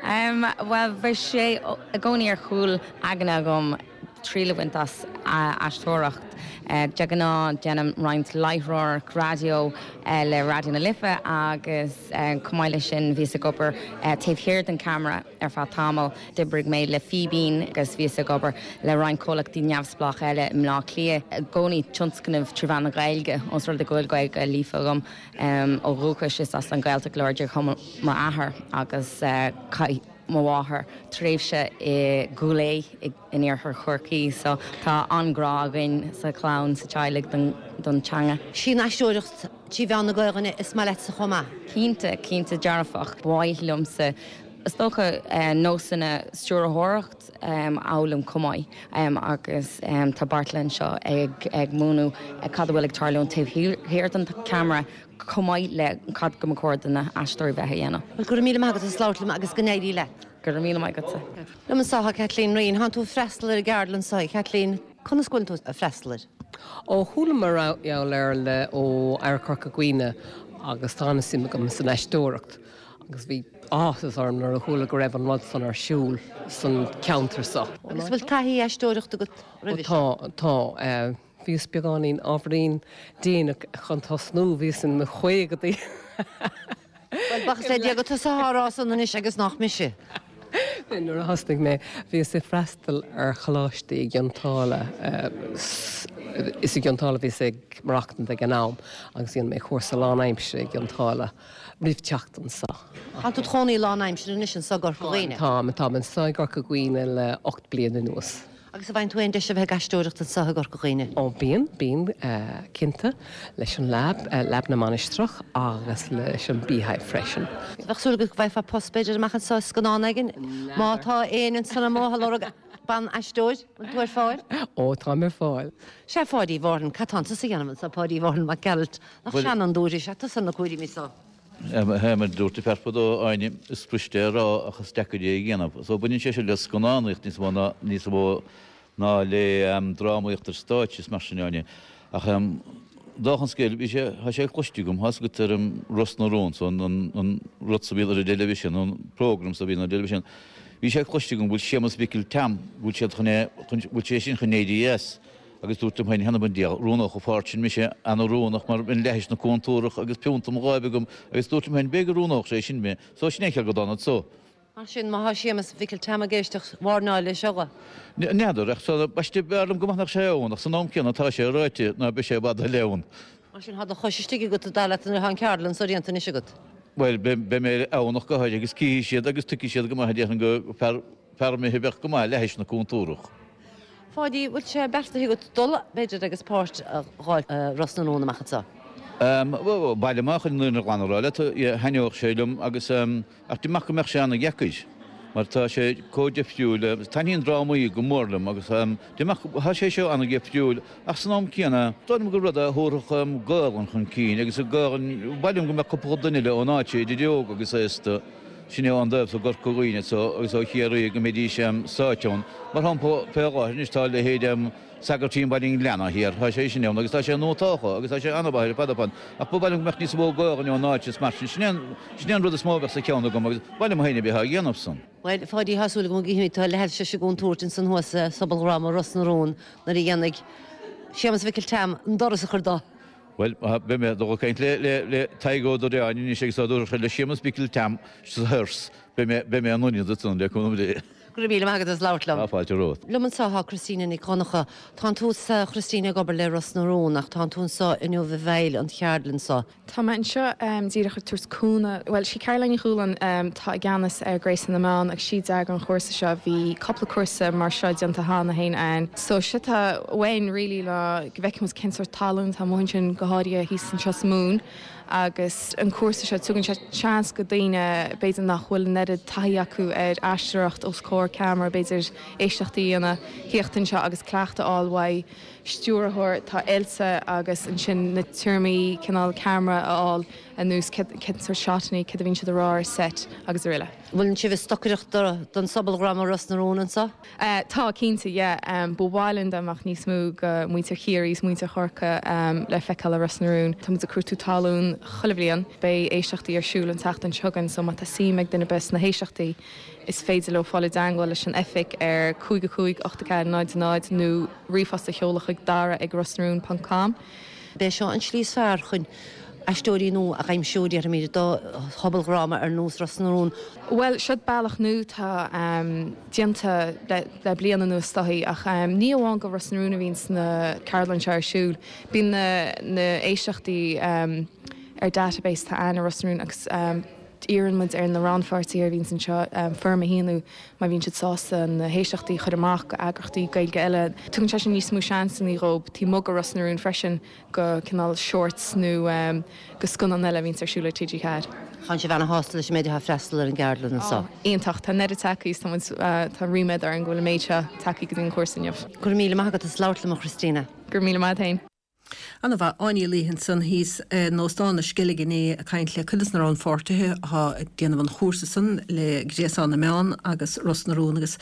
Em, bhuel, bhí sé i gcónaí ar chúl aigne agam triail a bhaint as aisteoireacht. De ghnáth, déanaim roinnt láithreoireacht raidió le Raidió na Life agus chomh maith leis sin bhíos ag obair taobh thiar den cheamara ar feadh tamaill. D'oibrigh mé le Fíbín agus bhíos ag obair le roinnt comhlachtaí neamhspleácha eile i mBleá Cliath. I gcónaí tionscnaimh trí mheán na Gaeilge, ós rud é go bhfuil Gaeilge líofa agam ó dhúchas, is as an Ghaeltacht láidir chomh m'athair agus chaith mo mháthair tréimhse i gCúil Aodha in iarthar Chorcaí so tá an-ghrá againn sa chlann, sa teaghlaigh don teanga. Sí an aisteoireacht trí mheán na Gaelainne is maith leatsa chomh maith? Cinnte, cinnte dearfach. Ba mhaith liomsa is dócha nósanna stiúrthóireacht a fhoghlaim chomh maith agus tá Beartla anseo ag múineadh cad a bhfuil ag tarlúint taobh thiar den cheamara chomh maith le cad go mba chóir do na haisteoirí bheith a dhéanamh. Bhuel, go raibh míle maith agat as labhairt liom agus go n-éirí leat. Go raibh míle maith agatsa. Liom anseo tá Kathleen Reen. Tánn tú ag freastal ar an gceardlann seo, a Kathleen. Conas go bhfuil tú ag freastal air? Ó chuala mar gheall air le ó Oidhreacht Chorca Dhuibhne agus tá an-suim agam san aisteoireacht agus bhí áthas orm nuair a chuala go raibh an rud san ar siúl san ceantar so. Agus bhfuil taithí aisteoireachta agat roimhe seo? Ó tá, tá. Bhíos beagáinín ábhairín déanach chun tosnú, bhíos in mo chaogadaí. Bhuel, buíochas le Dia gur tusa atá á rá san anois agus nach mise. Nuair a thosnaigh mé, bhíos ag freastal ar choláiste i gCionn tSáile, is i gCionn tSáile a bhíos ag maireachtaint ag an am, agus dhein mé cúrsa lánaimsire i gCionn tSáile roimh teacht anso. Tá tú id chónaí lánaimsire anois anso i gCorca Dhuibhne? Táim, táim anso i gCorca Dhuibhne le 8 bliana anuas. Agus an bhfaigheann tú aon deis a bheith ag aisteoireacht anseo i gCorca Dhuibhne? Ó bíonn, bíonn, cinnte, leis an Lab, Lab na Mainistreach agus leis an Beehive freisin. Bheadh súil agat go bhfaighfeá post b'fhéidir amach anseo i scannán éigin? Má tá éinne ansan amuigh ag lorg ban-aisteoir, bhfuil tú ar fáil? Ó, táim ar fáil. Sea, a Pháidí Mhárthain, cad tánn tusa a dhéanamh anseo, Páidí Mhárthain Mac Gearailt? Nach seanfhondúir is ea tusa ar na cúraimí so? Mar a dúirt an fear fadó, Áine, is fuiriste é a rá ach is deacair é a dhéanamh. So baineann sé seo le scannánaíocht níos mó ná níos mó ná le drámaíocht ar stáitse is mar sin, Áine. Ach dála an scéil, bhí sé, tá sé cloiste agam, tá's agat ar an Ros na Rún, so an an rud so a bhíonn ar an dteilifísean, an program so a bhíonn ar an dteilifísean, bhí sé cloiste agam go bhfuil Séamus Mhicil Tom, go bhfuil siad chun é, chun, bhfuil sé sin chun éirí as. Agus dúrt liom féin, th'anam 'on diabhal, roghnódh an pháirt sin mise, ana-oiriúnach mar bheinn leathis na cúntúrach agus piúnta mo dháimh agam, agus dúrt liom féin, b'fhéidir go roghnódh sé sin mé, so sin é an chiall go dtána so. Mar sin, má thá Séamus Mhicil Tom ag éisteacht, wairneáil leis seo. N'fheadar, ach so, baiste, b'fhearr liom go maith nach sé ann, ach san am céanna tá sé ráite ná beidh sé i bhfad eile ann. Mar sin, thá do chois istigh agat, dar leat, nuair athá an ceardlann so déanta anois agat. Bhuel, beidh mé ann ach go háirithe, agus cífidh siad agus tuigfidh siad go maith, déarfainn, go fear, fear imithe a bheadh go maith leathis na cúntúrach. Pháidí, bhfuil sé beartaithe agat dul, b'fhéidir, agus páirt a dh'fháil i Ros na Rún amach anseo? Bhuel, baile amach chun an fhírinne ghlan a rá leat, thaitneodh sé liom agus, ach deirim go mbeadh sé ana-dheacair mar tá sé chomh difriúil, taitníonn drámaí go mór liom agus deirim tá sé seo ana-dhifriúil ach san am céanna, dóigh liom gur rud é a thabharfadh Gaolainn chun cinn agus Gaolainn, ba mhaith liom go mbeadh cúpla duine eile ón áit, idir óg agus aosta. Sin é ón dtaobh so gCorca Dhuibhne so agus ó Chiarraí go mbeidís sáite ann. Mar shampla, fé láthair anois tá a leithéid Sagairtín Bhaile an Ghleanna thiar, tá sé sin ann agus tá sé nótáltha agus tá sé an-mhaith ar fad ar fad ach ba mhaith liom go mbeadh níos mó Gaolainne ón áit is mar sin. Sin é an, sin é an rud is mó a bheadh sa cheann agam agus ba mhaith liom féin a bheith á dhéanamh san. Bhuel, a Pháidí, tá súil agam go gcífimid tú leath-sise i gcontúirt ansan thuas sa sobaldhráma Ros na Rún nuair a dhéanfaidh Séamus Mhicil Tom an doras a chur do. Bhuel, beidh mé ag dul ag caint le Tadhg Ó Direáin anois agus dá dtabharfadh sé le Séamus Mhicil Tom sa thuras, beidh mé, beidh mé in ionad ansan le cúnamh Dé. Go raibh míle maith agat as labhairt liom. Tá fáilte romhat. Liom anseo tá Christina Nic Dhonncha. Tánn tusa, a Christina, ag obair le Ros na Rún ach tánn tú anseo inniu i bhfeighil an cheardlann seo. Tá mé anseo díreach ag tabhairt cúnamh, bhuel, sí Caroline Ní Chualáin atá i gceannas ar Gréasán na Meán agus sí a d'eagraigh an chúrsa seo. Bhí cúpla cúrsa mar seo déanta cheana féin againn. So séard atá uainn really ná go bhfeicfidh muid cén sórt tallann atá amuigh ansin go háirithe thíos anseo sa Mumhain agus an cúrsa seo tugann sé seans go daoine b'fhéidir nach bhfuil an oiread taithí acu ar aisteoireacht os comhair ceamara b'fhéidir éisteachtaí a dhéanamh, thíocht anseo agus cleachtadh a fháil uaidh. stiúrthóir atá oilte agus ansin na téarmaí cineál ceamara a fháil anuas, cén sórt shotanna, céard a bhíonn siad a rá ar set agus araile. Bhfuil sibh ag stocaireacht don sobaldhráma Ros na Rún anseo? Tá, cinnte, yeah. Ba mhaith linn dá mbeadh níos mó go muintir Chiarraí is muintir Chorcaí le feiceáil i Ros na Rún. Tá muid ag cuartú talún chuile bhliain. Beidh éisteachtaí ar siúl an tseachtain seo chugainn so má tá suim ag duine ar bith sna héisteachtaí is féidir leo fáil i dteangmháil leis an oifig ar 5 5 8 4 0 0 nó ríomhphost a sheoladh chuig dara ag rosnaroon ponc com. B'é seo an tslí is fearr chun aisteoirí nua a aimsiú, déarfaimid, do shobaldhráma ar nós Ros na Rún. Bhuel, seo bealach nua atá déanta le bliain anuas is dóichí, ach ní amháin go Ros na Rún a bhíonns na ceardlann seo ar siúl. Bíonn na héisteachtaí ar database atá ann i Ros na Rún agus iarrann muid ar na rannpháirtithe a bhíonns anseo foirm a shíniú má bhíonn siad sásta na héisteachtaí a chur amach go eagraíochtaí Gaeilge eile. Tugann sé sin níos mó seansannaí dhóib taobh amuigh go Ros na Rún freisin go cineál shorts nó go scannán eile a bhíonns ar siúl ar TG4. Tánn sibh ana-shásta leis an méid atá ag freastal ar an gceardlann anseo? Ó, iontach. Tá an oiread tagtha is tá muid, tá ríméad orainn go bhfuil an méid seo tagtha go dtí an cúrsa inniu. Go raibh míle maith agat as labhairt liom a Christina. Go raibh míle maith agat féin. Ana-mhaith. Áine Ní Laoithe ansan thíos in Óstán na Sceilge inné ag caint le cuid des na rannpháirtithe atá ag déanamh an chúrsa san le Gréasán na Meán agus Ros na Rún agus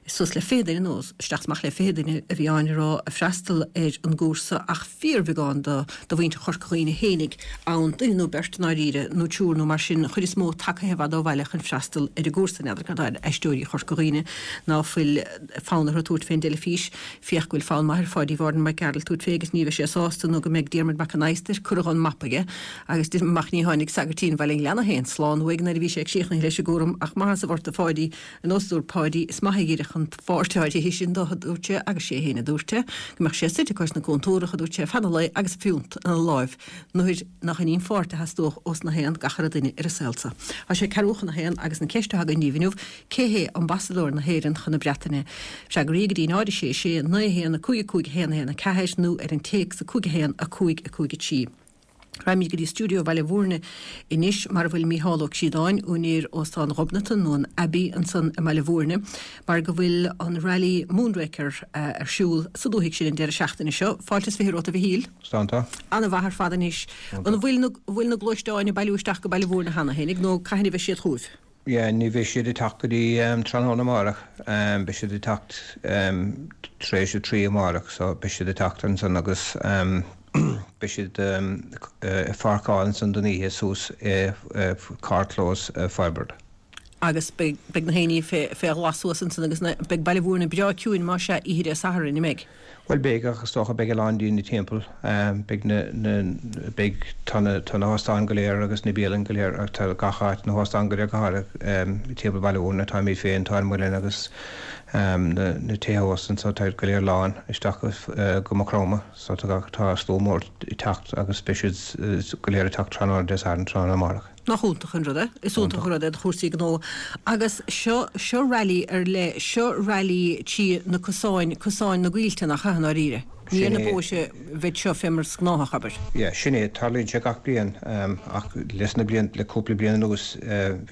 suas le 20 duine nó isteach is amach le 20 duine a bhí Áine ag rá ag freastal ar an gcúrsa ach fíorbheagán do do mhuintir Chorca Dhuibhne fhéinig ann, duine nó beirt i ndáiríre nó triúr nó mar sin, an chuid is mó tagaithe i bhfad ó bhaile chun freastal ar an gcúrsa. N'fheadar cad tá ar aisteoirí Chorca Dhuibhne ná fuil fonn orthu tabhairt fén dteilifís. Féach go bhfuil fonn maith ar Pháidí Mhártan Mac Gearailt tabhairt fé agus ní bheidh sé sásta. sásta nó go mbeidh Diarmuid Mac an Adhastair curtha dhon mapa aige agus amach ní tháinig sagairtín Bhaile an Ghleanna féin slán uaidh nuair a bhí sé ag síochnaithe leis an gcúram ach maith as a bhort a Pháidí ar nós a dúirt Páidí is maith a dh'oirfeadh an pháirt áirithe sin dó a dúirt sé agus sé féin a dúirt é go mbeadh sé suite cois na cúntúrach a dúirt sé feadh an lae agus a phiúnt ina láimh nuair nach in í an pháirt a theastódh ós na haon gach uile duine ar an saol so. Tá sé ceathrú chun a haon agus an cheist atá againn daoibh inniu, cé hé ambasadóir na hÉireann chun na Breataine? Freagraí go dtí 0 6 6 9 1 5 5 1 1 4 nó ar an téacs 5 1 5 5 3. Raghaimid go dtí stiúideo Bhaile Mhúirne anois mar a bhfuil Mícheál Ó Críodáin, úinéir Óstán Ghobnatan nó an Abbey ansan i mBaile Mhúirne, mar go bhfuil an Rally Moonraker ar siúl sa dúthaigh sin an deireadh seachtaine seo. Fáilte is 20 romhat a Mhichíl. Slán tá. Ana-mhaith ar fad anois. An bhfuil na, bhfuil na gluaisteáin ag bailiú isteach go Baile Mhúirne cheana féinig nó cathain a bheidh siad chugaibh? Yeah, ní bheidh siad ag teacht go dtí tráthnóna amárach. Beidh siad ag teacht tar éis a 3 amárach so beidh siad ag teacht ansan agus beidh siad ag pháirceáil ansan don oíche suas i carrchlós Firebird. Agus beidh beidh na héinní fé fé ghlas suas ansan agus na beidh Baile Mhúirne breá ciúin más ea oíche Dé Sathairn, an mbeidh? Bhuel beidh, ach is dócha beidh a lán daoine timpeall. Beidh na, na, beidh, tá na, tá na hóstáin go léir agus na bialann go léir, tá gach áit, na hóstáin go léir go háirithe timpeall Bhaile Mhúirne, táimid féin, tá an Muileann agus na, na tithe ósta anso, tá go léir lán isteach go, go Maigh Chromtha. So tá gach, tá slua mór ag teacht agus beidh siad go léir ag teacht tráthnóna Dé Sathairn, tráthnóna amárach. Nach iontach an rud é? Is iontach an rud é do chúrsaí gnó. Agus seo, seo rally ar leith, seo rally trí na cosáin, cosáin na gcoillte, nach ea, i ndáiríre? Ní ar na bóithre a bheidh seo fé mar is gnáthach, abair. Yeah, sin é. Tarlaíonn sé gach bliain, ach leis na blianta, le cúpla bliain anuas,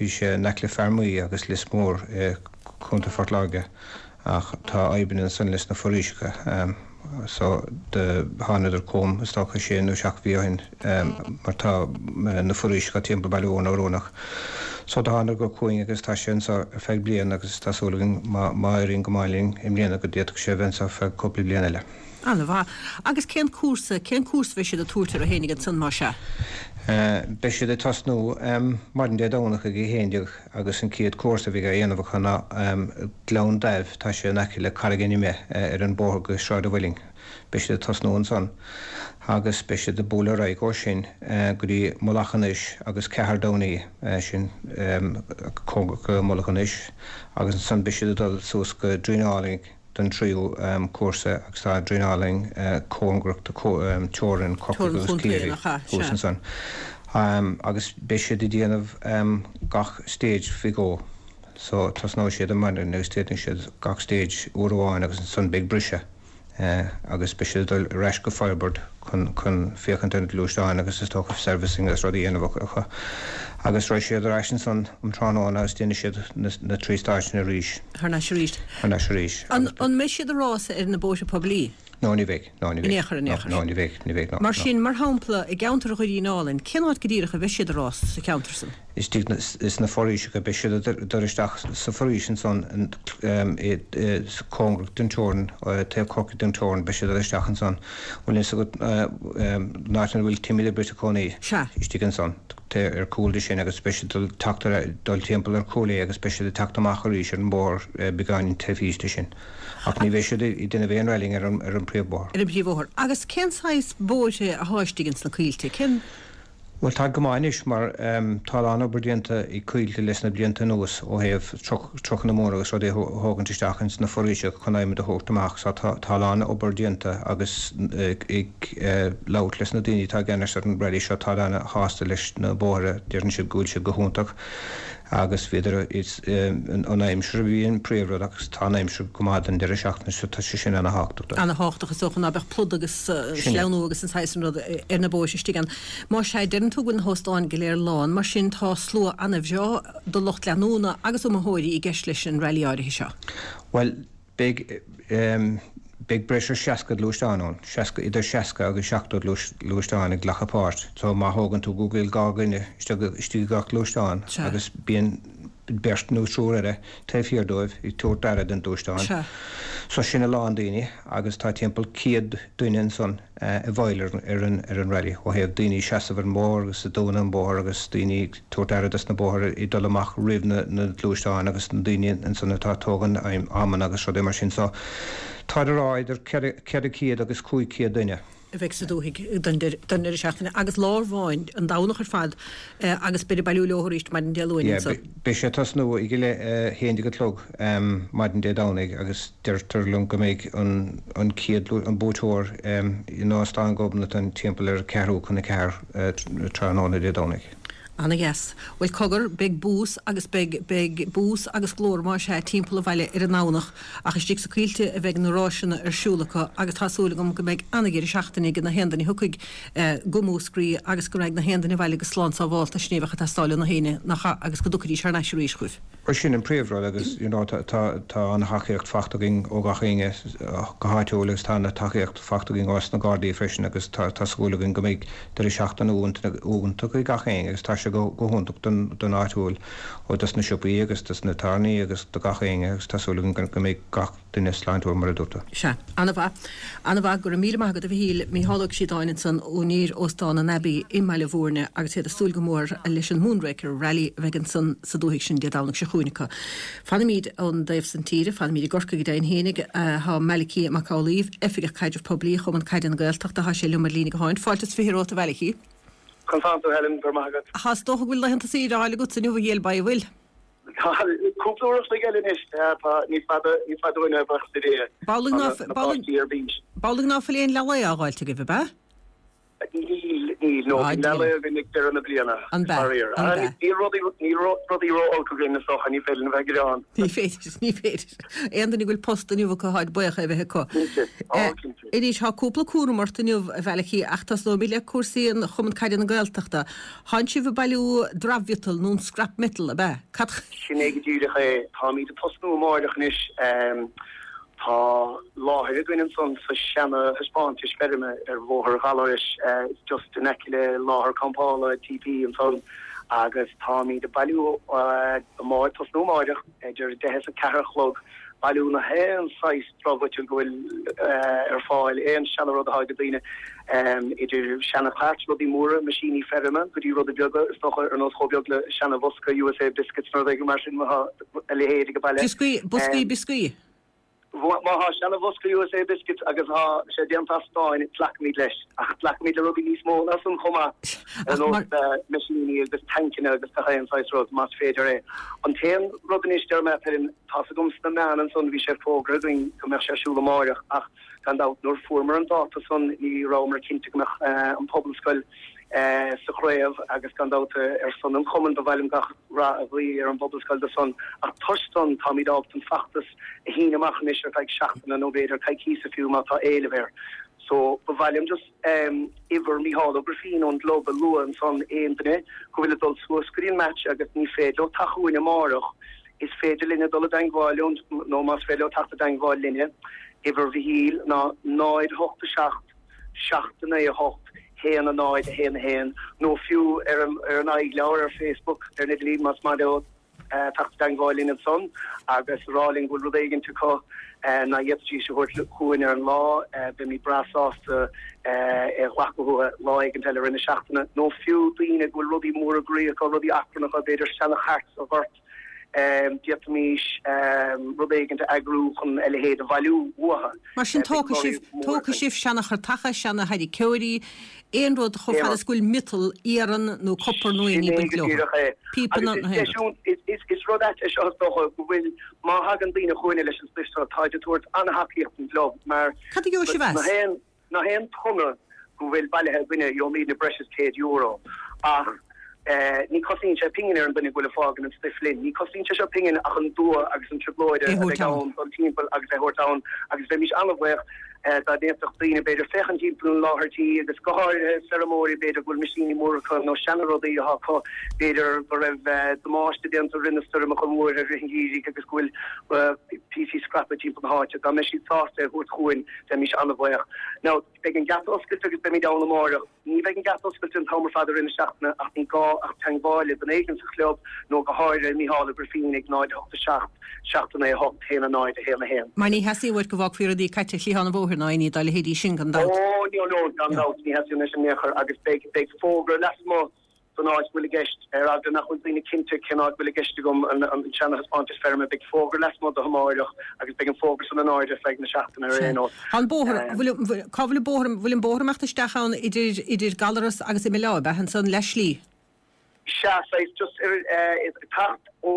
bhí sé in aice le Fear Maí agus Lios Mór i gContae Phort Láirge. Ach tá fadhbanna ansan leis na foraoiseacha so do thánadar chugam is dócha sé nó seacht mhí ó shin mar tá na foraoiseacha timpeall Baile Mhúirne oiriúnach. So do thánadar chugainn agus tá sé anso ar feadh bliain agus tá súil againn má má éiríonn go maith linn i mbliana go d'fhéadfadh sé a bheith anso feadh cúpla bliain eile. Ana-mhaith. Agus cén cúrsa, cén cúrsa a bheidh siad ag tabhairt orthu fhéinig ansan más ea? Beidh siad ag tosnú maidin Dé Domhnach ag a 11. Agus an chéad cúrsa a bheidh á dhéanamh acu ná Gleann Daimh, tá sé in aice le Carraig an Ime ar an bóthar go Sráid an Mhuilinn. Beidh siad ag tosnú ansan agus beidh siad ag bualadh ar aghaidh ó sin go dtí Mullach an Eich agus Cathair Downey, sin cóngarach go Mullach an Eich, agus ansan beidh siad ag dul suas go Droighneán Álainn. don tríú cúrsa agus tá Droighneán Álainn cóngarach do teorainn Chorcaí agus Ciarraí thuas ansan. Agus beidh siad ag déanamh gach stage faoi dhó. So tosnóidh siad ar maidin agus déanfaidh siad gach stage uair amháin agus ansan beidh briseadh agus beidh siad ag dul ar ais go Firebird chun chun féachaint ar na gluaisteáin agus is dócha servicing agus rudaí a dhéanamh acu. Agus raghaidh siad ar ais ansan um tráthnóna agus déanfaidh siad na trí stáid sin arís. Thar n-ais arís. Thar n-ais arís. An an mbeidh siad ag rása ar na bóithre poiblí? No, ní bheidh. No, ní bheidh. In aon chor, in aon chor. No, ní bheidh, ní bheidh, no. Mar sin, mar shampla, i gceantar Dhoirín Álainn, cén áit go díreach a bheidh siad ag rás sa cheantar san? Istigh sna foraoiseacha, beidh siad ag dul isteach sa foraois ansan, cóngarach don teorainn, taobh Chorcaí den teorainn, beidh siad ag dul isteach ansan. Bhfuil fhios agat an áit ina bhfuil Timmy the Brit ag cónaí? Sea. Istigh ansan. ar cúl de sin agus beidh siad ag teacht ar dul timpeall ar chúl é agus beidh siad ag teacht amach arís ar an mbóthar beagáinín taobh thíos de sin. Ach ní bheidh siad ag déanamh aon rallying ar an ar an bpríomhbhóthar. Ar an bpríomhbhóthar. Agus cén saghas bóithre athá istigh ins na coillte? Cén. Bhuel táid go maith anois mar tá a lán obair déanta ag Coillte leis na blianta anuas ó thaobh trucanna móra agus rudaí a thógaint isteach ins na foraoiseacha chun adhmad a thabhairt amach so tá tá a lán obair déanta agus ag labhairt leis na daoine atá i gceannas ar an rally seo, táid ana-shásta leis na bóithre, deireann siad go bhfuil siad go hiontach agus bhíodar, an aimsir a bhí an príomhrud agus tá an aimsir go maith don deireadh seachtaine so tá sé sin ana-thábhachtach. Ana-thábhachtach is dócha ná beadh plud agus sleamhnú agus an saghas sin rud ar na bóithre istigh ann. Más ea, deireann tú go bhfuil na hóstáin go léir lán, mar sin tá slua ana-bhreá de lucht leanúna agus iomaitheoirí i gceist leis an rally áirithe seo. Bhuel, Beidh, beidh breis ar 60 gluaisteán ann, 60, idir 60 agus 70 gluaisteán ag glacadh páirt. So má thógann tú go bhfuil 2 dhuine istigh, istigh i gach gluaisteán agus bíonn beirt nó triúr eile taobh thiar dóibh ag tabhairt aire don gluaisteán. So sin a lán daoine agus tá timpeall 100 duine ansan. i bhfeighil ar an rally ó thaobh daoine ag seasamh ar an mbóthar agus ag dúnadh an bóthar agus daoine ag tabhairt aire dos na bóithre ag dul amach roimh na gluaisteáin agus na daoine ansan atá ag tógaint amanna agus rudaí mar sin so táid ag rá idir 400 agus 500 duine. a bheidh sa dúthaigh don deireadh seachtaine agus lá amháin, an Domhnach ar fad agus beid ag bailiú leo arís maidin Dé Luain Yeah, anso. beidh sé ag tosnú ag a 11 a chlog maidin Dé Domhnaigh agus deirtear liom go mbeidh an chéad, an buaiteoir in Óstán Ghobnatan timpeall ar cheathrú chun a ceathair tráthnóna Dé Domhnaigh. Ana-dheas. Bhuel, cogar, beidh bús agus beidh, beidh bús agus glór más ea timpeall an bhaile ar an nDomhnach ach istigh sa Coillte a bheidh na ráiseanna ar siúl acu agus tá súil agam go mbeidh ana-dheireadh seachtaine ag na haon duine a thiocfaidh go Múscraí agus go raghaidh na haon duine abhaile go slán sábhálta, sin é a bheadh ag teastáil ó na héinne, nach ea, agus go dtiocfaidís thar n-ais arís chugaibh. Bhuel sin an príomhrud agus you know tá tá ana-thacaíocht fachta againn ó gach éinne go háitiúil agus tá ana-tacaíocht fachta againn ós na Gardaí freisin agus tá tá súil againn go mbeidh deireadh seachtaine iontach ag gach éinne agus tá sé go go hiontach don don áitiúil ó dos na siopaí agus dos na tábhairní agus do gach éinne agus tá súil againn go go mbeidh gach duine sláintiúil mar a dúirt tú. Sea. Ana-mhaith. Ana-mhaith. Go raibh míle maith agat a Mhichíl. Mícheál Ó Críodáin ansan, úinéir Óstán an Abbey i mBaile Bhúirne agus iad ag súil go mór leis an Moonraker Rally a bheidh ansan sa dúthaigh sin Dé Domhnaigh seo chugainn acu. Fanaimíd ón dtaobh san tíre, fanaimíd i gCorcaigh go deimhin fhéinig. Tá Malachy Mac Amhlaoibh, Oifigeach Caidrimh Poiblí Chumann Caide na Gaeltachta, tá sé liom ar líne gutháin. Fáilte is 20 romhat a Mhalachy. Conas tánn tú Helen, go raibh maith agat. Tá, is dócha go bhfuil laethanta saoire á fháil agatsa inniu a Ghéill Baidh, an bhfuil? Tá cúpla uair a chloig eile anois. Tá, ní fada, ní fada uainn é, buíochas le Dia. B'amhlaidh ná, Tá na páistí ar bís. b'amhlaidh ná fuil aon leath lae á dh'fháilt agaibh, ab ea? Níl, níl, no, bíonn leath lae againn ag deireadh na bliana, An b'ea? faraor. An b'ea? Níl rudaí, níl rudaí ró-olc againn is dócha, ní féidir linn a bheith ag gearán. Ní féidir, ní féidir. Aon duine go bhfuil post inniu acu, táid buíoch é a bheith acu. Cinnte, á, cinnte. Anois, tá cúpla cúram ort inniu, a Mhalachy, ach tosnóimid le cúrsaí an Chumann Caide na Gaeltachta. Tánn sibh ag bailiú dramh-mhiotal nó an scrap metal, ab ea? Cad. Sin é go díreach é. Táimid ag tosnú amáireach anois. Tá láthair againn ansan sa seana thaispeántais feirme ar Bhóthar Ghallarois, just in aice le láthair campála TP ansan agus táimid ag bailiú amáireach, tosnú amáireach idir 10 is 4 a chlog. Bailiú na haon saghas dramh-mhiotail go bhfuil ar fáil, aon seana rud atá ag daoine, idir seana chairt, rudaí móra, meaisíní feirme, go dtí rudaí beaga, is dócha, ar nós chomh beag le seana bhosca USA Biscuits nó rud éigin mar sin, má tá a leithéid ag baile. Bioscaí, boscaí bioscaí. Má tá seana bhosca USA Biscuits agus tá sé déanta as stáin, glacfaimid leis. Ach glacfaimid le rudaí níos mó ná san chomh maith, ar nós meaisíní agus tancanna agus gach aon saghas rud, más féidir é. An t-aon rud anois, deir mé, tá's agam sna meáin ansan, bhí sé fógartha againn go mbeadh sé ar siúl amáireach ach gan dabht nuair fuaireamar an dáta san ní rabhamar cinnte go mbeadh an Phobalscoil sa chraobh agus gan dabht ar son an chumainn ba mhaith liom gach rath a ghuí ar an bPobalscoil do san ach toisc san táimid ábalta an feachtas a shíneadh amach anois ar feadh seachtaine nó b'fhéidir coicíosa fiú má tá éileamh air. So ba mhaith liom just uimhir Mícheál Ó Grifín ón gclub a lua ansan aon duine go bhfuil ag dul suas go dtí an match agus ní féidir leo teacht chugainn amárach is féidir linne dul i dteangmháil leo nó más féidir leo teacht i dteangmháil linne uimhir Mhichíl ná 0 8 7 7 9 8 1 0 1 1 nó fiú ar an ar an aghaidhleabhar ar Facebook ar an idirlíon más maith leo teacht i dteangmháil linn ansan agus rá linn go bhfuil rud éigint acu nach bhféadfaidís a thabhairt chugainn ar an lá, beimid breá sásta é a ghlacadh uathu lá éigint eile i rith na seachtaine. Nó fiú daoine go bhfuil rudaí móra groí acu, rudaí achrannacha, b'fhéidir seana-chairt sa ghort, d'fhéadfaimis rud éigint a eagrú chun a leithéid a bhailiú uathu. Mar sin tógfaidh sibh, tógfaidh sibh seana-chairteacha, seana-tharraiceoirí, aon rud chomh fada is go bhfuil miotal, iarann nó copar nó aon ní ag baint leo. Píopanna nó aon rud. Is rud ait é seo is dócha go bhfuil, má thagann daoine chugainne leis an stuif seo, táid ag tabhairt an-thacaíocht don gclub mar Cad a gheobhaidh sibh as? Na haon tonna go bhfuil bailithe againne gheobhaimidne breis is €100 ach ní cosnaíonn sé pingin ar an duine go bhfuil ag fágaint an stuif linn. Ní cosnaíonn sé seo pingin ach an dua agus an trioblóid a bheidh ann dul timpeall agus é a thabhairt ann agus bheimís an-bhuíoch dá bhféadfadh daoine b'fhéidir féachaint timpeall an láthair tí agus go háirithe feirmeoirí b'fhéidir go bhfuil meaisíní móra acu nó seana-rudaí atá acu b'fhéidir go raibh damáiste déanta i rith na stoirmeacha móra i rith an gheimhridh agus go bhfuil píosaí scraptha timpeall na háite. Dá mbeadh siad sásta é a thabhairt chugainn bheimís an-bhuíoch. Now beidh an geata oscailte agus beimid ann amáireach. Ní bheidh an geata oscailte an t-am ar fad i rith na seachtaine ach ní gá ach teangmháil le duine éigin sa chlub nó go háirithe Mícheál Ó Grifín ag 0 8 7 7 9 8 1 0 1 1. Mar ní theastaíonn uait go bhfágfaí rudaí caite ar chliathán an bhóthair ná aon ní dá leithéidí sin gan dabht. Ó, no, no, gan dabht, ní theastaíonn sin in aon chor agus beidh, beidh fógra lasmuigh. Don áit a bhfuil i gceist, ar eagla nach bhfuil daoine cinnte cén áit a bhfuil i gceist agam, an seana-thaispeántas feirme, beidh fógra lasmuigh de amáireach agus beidh an fógra san in airde ar feadh na seachtaine ar aon nós. Tá an bóthar, bhfuil, cá bhfuil an bóthar, bhfuil an bóthar amach isteach ann idir, idir Gallaras agus Imeall Átha, ab ea, ansan leath slí? Sea, saghas just ar, ag teacht ó,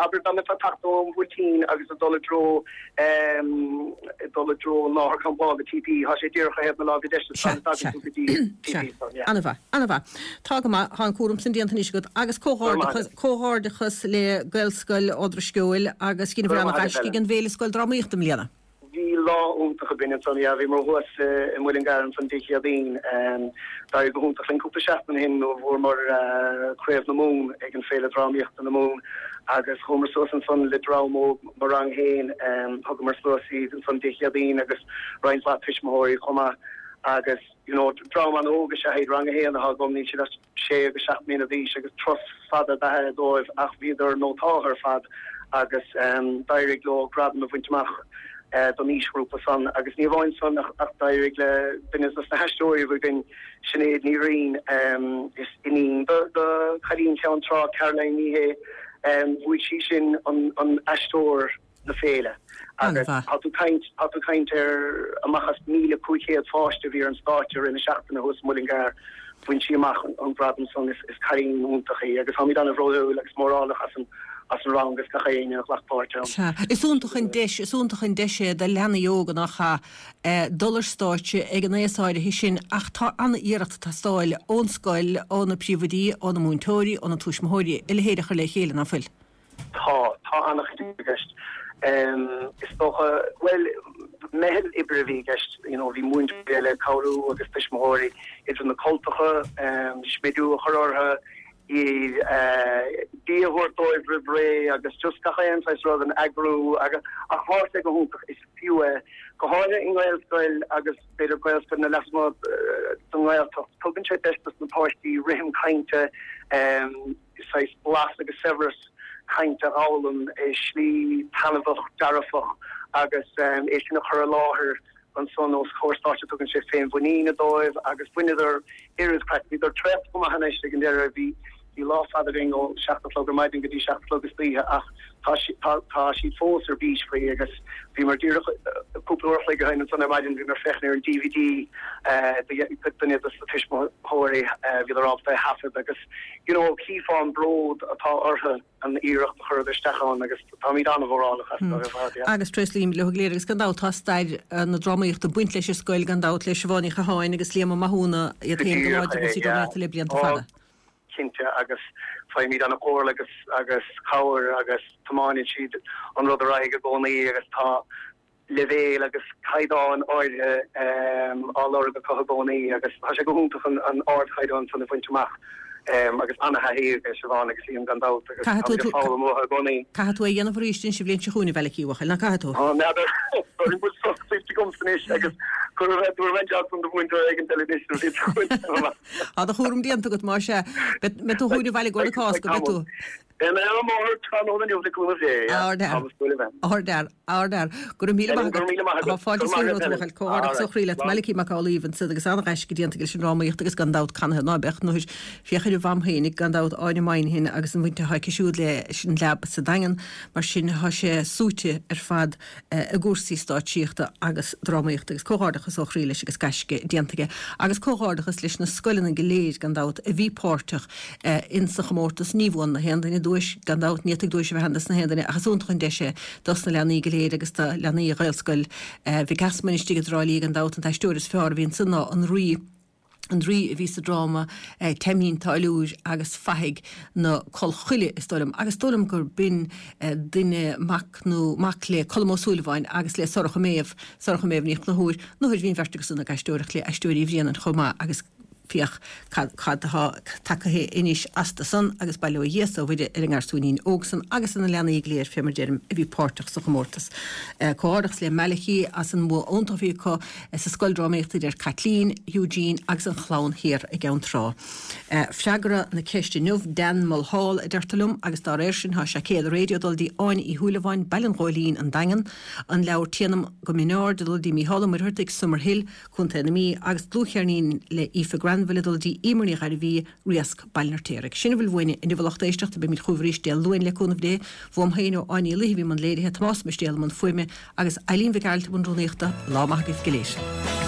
abair dá mbeifeá ag teacht ón Bhuailtín agus ag dul i dtreo, ag dul i dtreo an láthair campála TP, tá sé díreach ar thaobh na láimhe deise sula dtagann tú go dtí Sea, TP san, yeah. An-mhaith, an-mhaith. Tá go maith, tá an cúram san déanta anois agat agus comhghairdeachas, comhghairdeachas le Gaelscoil Ard an Sceoil agus dheineabhair an-ghaisce ag an bhFéile Scoildrámaíochta i mbliana. Bhí lá iontach againn ansan, yeah, bhíomar thuas i Muileann gCearr ansan Dé Céadaoin. D'éirigh go hiontach linn cúpla seachtain ó shin nuair a bhuamar Craobh na Mumhan ag an Féile Drámaíochta na Mumhan agus chuamar suas ansan le dream óg mo rang féin, thugamar suas iad ansan Dé Céadaoin agus roinnt mhaith tuismitheoirí chomh maith agus you know dream an-óg is ea iad, rang a haon atá agam, níl siad ach sé agus 7 mbliana d'aois agus turas fada ab ea é dóibh ach bhíodar nótáltha ar fad agus d'éirigh leo gradam a bhaint amach don aoisghrúpa san agus ní amháin san ach d'éirigh le duine dos na haisteoirí a bhí againn, Sinéad Ní Riain, is iníon do chailín Cheann Trá, Caroline Ní Shé, bhuaigh sí sin an aisteoir. na féile. Agus tá tú caint, tá tú caint ar amach as 1,500 pháiste a bhí ar an stáitse i rith na seachtaine thuas i Muileann gCearr, bhain sí amach an gradam san. Is cailín iontach í agus táimid an-bhródúil agus mórálach as an as an rang agus gach éinne a ghlac páirt ann. Sea. Is iontach an deis, is iontach an deis é do leanaí óga nach ea, dul ar stáitse ag an aos áirithe sin ach tá an-iarracht ag teastáil ón scoil, ó na príomhoidí, ó na múinteoirí, ó na tuismitheoirí a leithéid a chur le chéile, ná fuil? Tá, tá an-chuid i gceist. Is dócha, bhuel, meitheal oibre a bhí i gceist, you know, bhí múinteoirí eile ag cabhrú agus tuismitheoirí, idir na cultacha, smidiú a chur orthu, bia a thabhairt dóibh roimh ré agus just gach aon saghas rud, an eagrú agus, ach tá sé go hiontach, is fiú é. Go háirithe i nGaelscoil agus b'fhéidir Gaelscoileanna lasmuigh den nGaeltacht, tugann sé deis dos na páistí rithim cainte, saghas blas agus saibhreas cainte a fhoghlaim i slí taitneamhach, dearfach agus é sin a chur i láthair ansan os comhair stáitse. Tugann sé féinmhuinín dóibh agus bhaineadar oiread craic. Bhíodar traochta go maith anois ag an deireadh. Bhí bhí lá fada againn ó 7 a chlog ar maidin go dtí 7 a chlog istoíche ach tá tá tá siad fós ar bís faoi agus bhíomar díreach cúpla uair a chloig ó shin ansan ar maidin bhíomar ag féachaint ar an DVD do duine dos na tuismitheoirí bhíodar ábalta é a thaifead agus you know, chífeá an bród atá orthu an iarracht a chuireadar isteach ann agus táimid an-mhórálach astu ar fad, yeah. Agus tréaslaím leo go léir agus gan dabht tá stair na drámaíochta ag baint leis an scoil gan dabht le Siobhán Ní Chatháin agus Liam Ó Mathúna iad féin go láidir i gcúrsaí drámaíochta le blianta fada. Cinnte agus faighimid an-chomhairle agus agus cabhair agus tiomáineann siad an rud ar aghaidh i gcónaí agus tá leibhéal agus caighdeán áirithe á lorg acu i gcónaí agus tá sé go hiontach an ardchaighdeán san a bhaint amach agus an-thaithí ag Siobhán agus Liam gan dabht agus táimid ag foghlaim uathu i gcónaí. Caithfidh tú é a dhéanamh arís an bhliain seo chugainn, a Mhalachy, a bhuachaill, ná caithfidh tú? Á, n'fheadar. An bhfuil sos tuillte agamsa anois agus tabharfaidh mé an jab san do mhúinteoir éigin eile anois an bhliain seo chugainn. Tá do chúram déanta agat, más ea. Beidh tú chugainn abhaile i gcomhair na Cásca, beidh tú? Beidh mé ar an mbóthar tráthnóna inniu le cúnamh Dé, yeah. Ardfhear. Táim ag súil a bheith. Ardfhear. Ardfhear. Go raibh míle maith agat. Go raibh míle maith agat. Tá fáilte is romhat, a bhuachaill. Comhghairdeachas ó chroí leat. Malachy Mac Amhlaoibh ansiúd agus an-ghaisce déanta aige leis an drámaíocht agus gan dabht canathaobh ná beadh nuair féach ar a mham féinig gan dabht Áine Moynihan agus an bhaint atá aici siúd leis an Leab sa Daingean. Mar sin tá sé súite ar fad i gcúrsaí stáitsíochta agus drámaíochta agus comhghairdeachas ó chroí leis agus gaisce déanta aige. Agus comhghairdeachas leis na scoileanna go léir gan dabht a bhí páirteach in sa chomórtas. Ní bhuann na haon duine duais gan dabht, ní fhéadfaidh duais a bheith ann dos na haon duine ach is iontach an deis é dos na leanaí go léir agus do leanaí Ghaelscoil Mhic Easmainn istigh i dTrá Lí gan dabht an t-aisteoir is fearr a bhí ansan ná an Rí. an Rí a bhí sa dráma Taimín Táilliúir agus Fathaigh na Collchoille, is dóigh liom, agus is dóigh liom gur b'in duine, mac nó mac le Colm Ó Súilleabháin agus le Sorcha Méabh, Sorcha Méabh Ní Chonchúir, nuair bhí an bheirt acu san ag aisteoireacht le Aisteoirí Bhréanainn chomh maith agus féach cad atá tagtha anois astu san agus bail ó Dhia 's ó Mhuire ar an ngarsúinín óg san agus ar na leanaí go léir fé mar deirim a bhí páirteach sa chomórtas. Comhghairdeachas le Malachy as an mbua iontach a bhí acu Sa scoil drámaíochta idir Caitlín, Eugene agus an chlann thiar i gCeann Trá. Freagra na ceiste inniu, Dan Mulhall a deirtear liom agus dá réir sin tá seaicéad raidió ag dul dtí Áine Uí Shúilleabháin, Baile an Ghóilín, An Daingean, an leabhar Téanam go Mionard ag dul dtí Mícheál Ó Muircheartaigh, Summerhill, Contae na Mí agus dlúthcheirnín le Aoife Grant. bhean a bhfuil ag dul dtí Emer Ní Ghairbhí, Riasc, Baile an Fheirtéaraigh. Sin a bhfuil uainne inniu a lucht éisteachta, beimid chugaibh arís Dé Luain le cúnamh Dé. Uaim féin ó Áine Ní Laoithe a bhí i mbun léirithe, Tomás Mistéal i mbun fuaime agus Eileen Mhic Gearailt i mbun rúnaíochta. Lá maith agaibh go léir.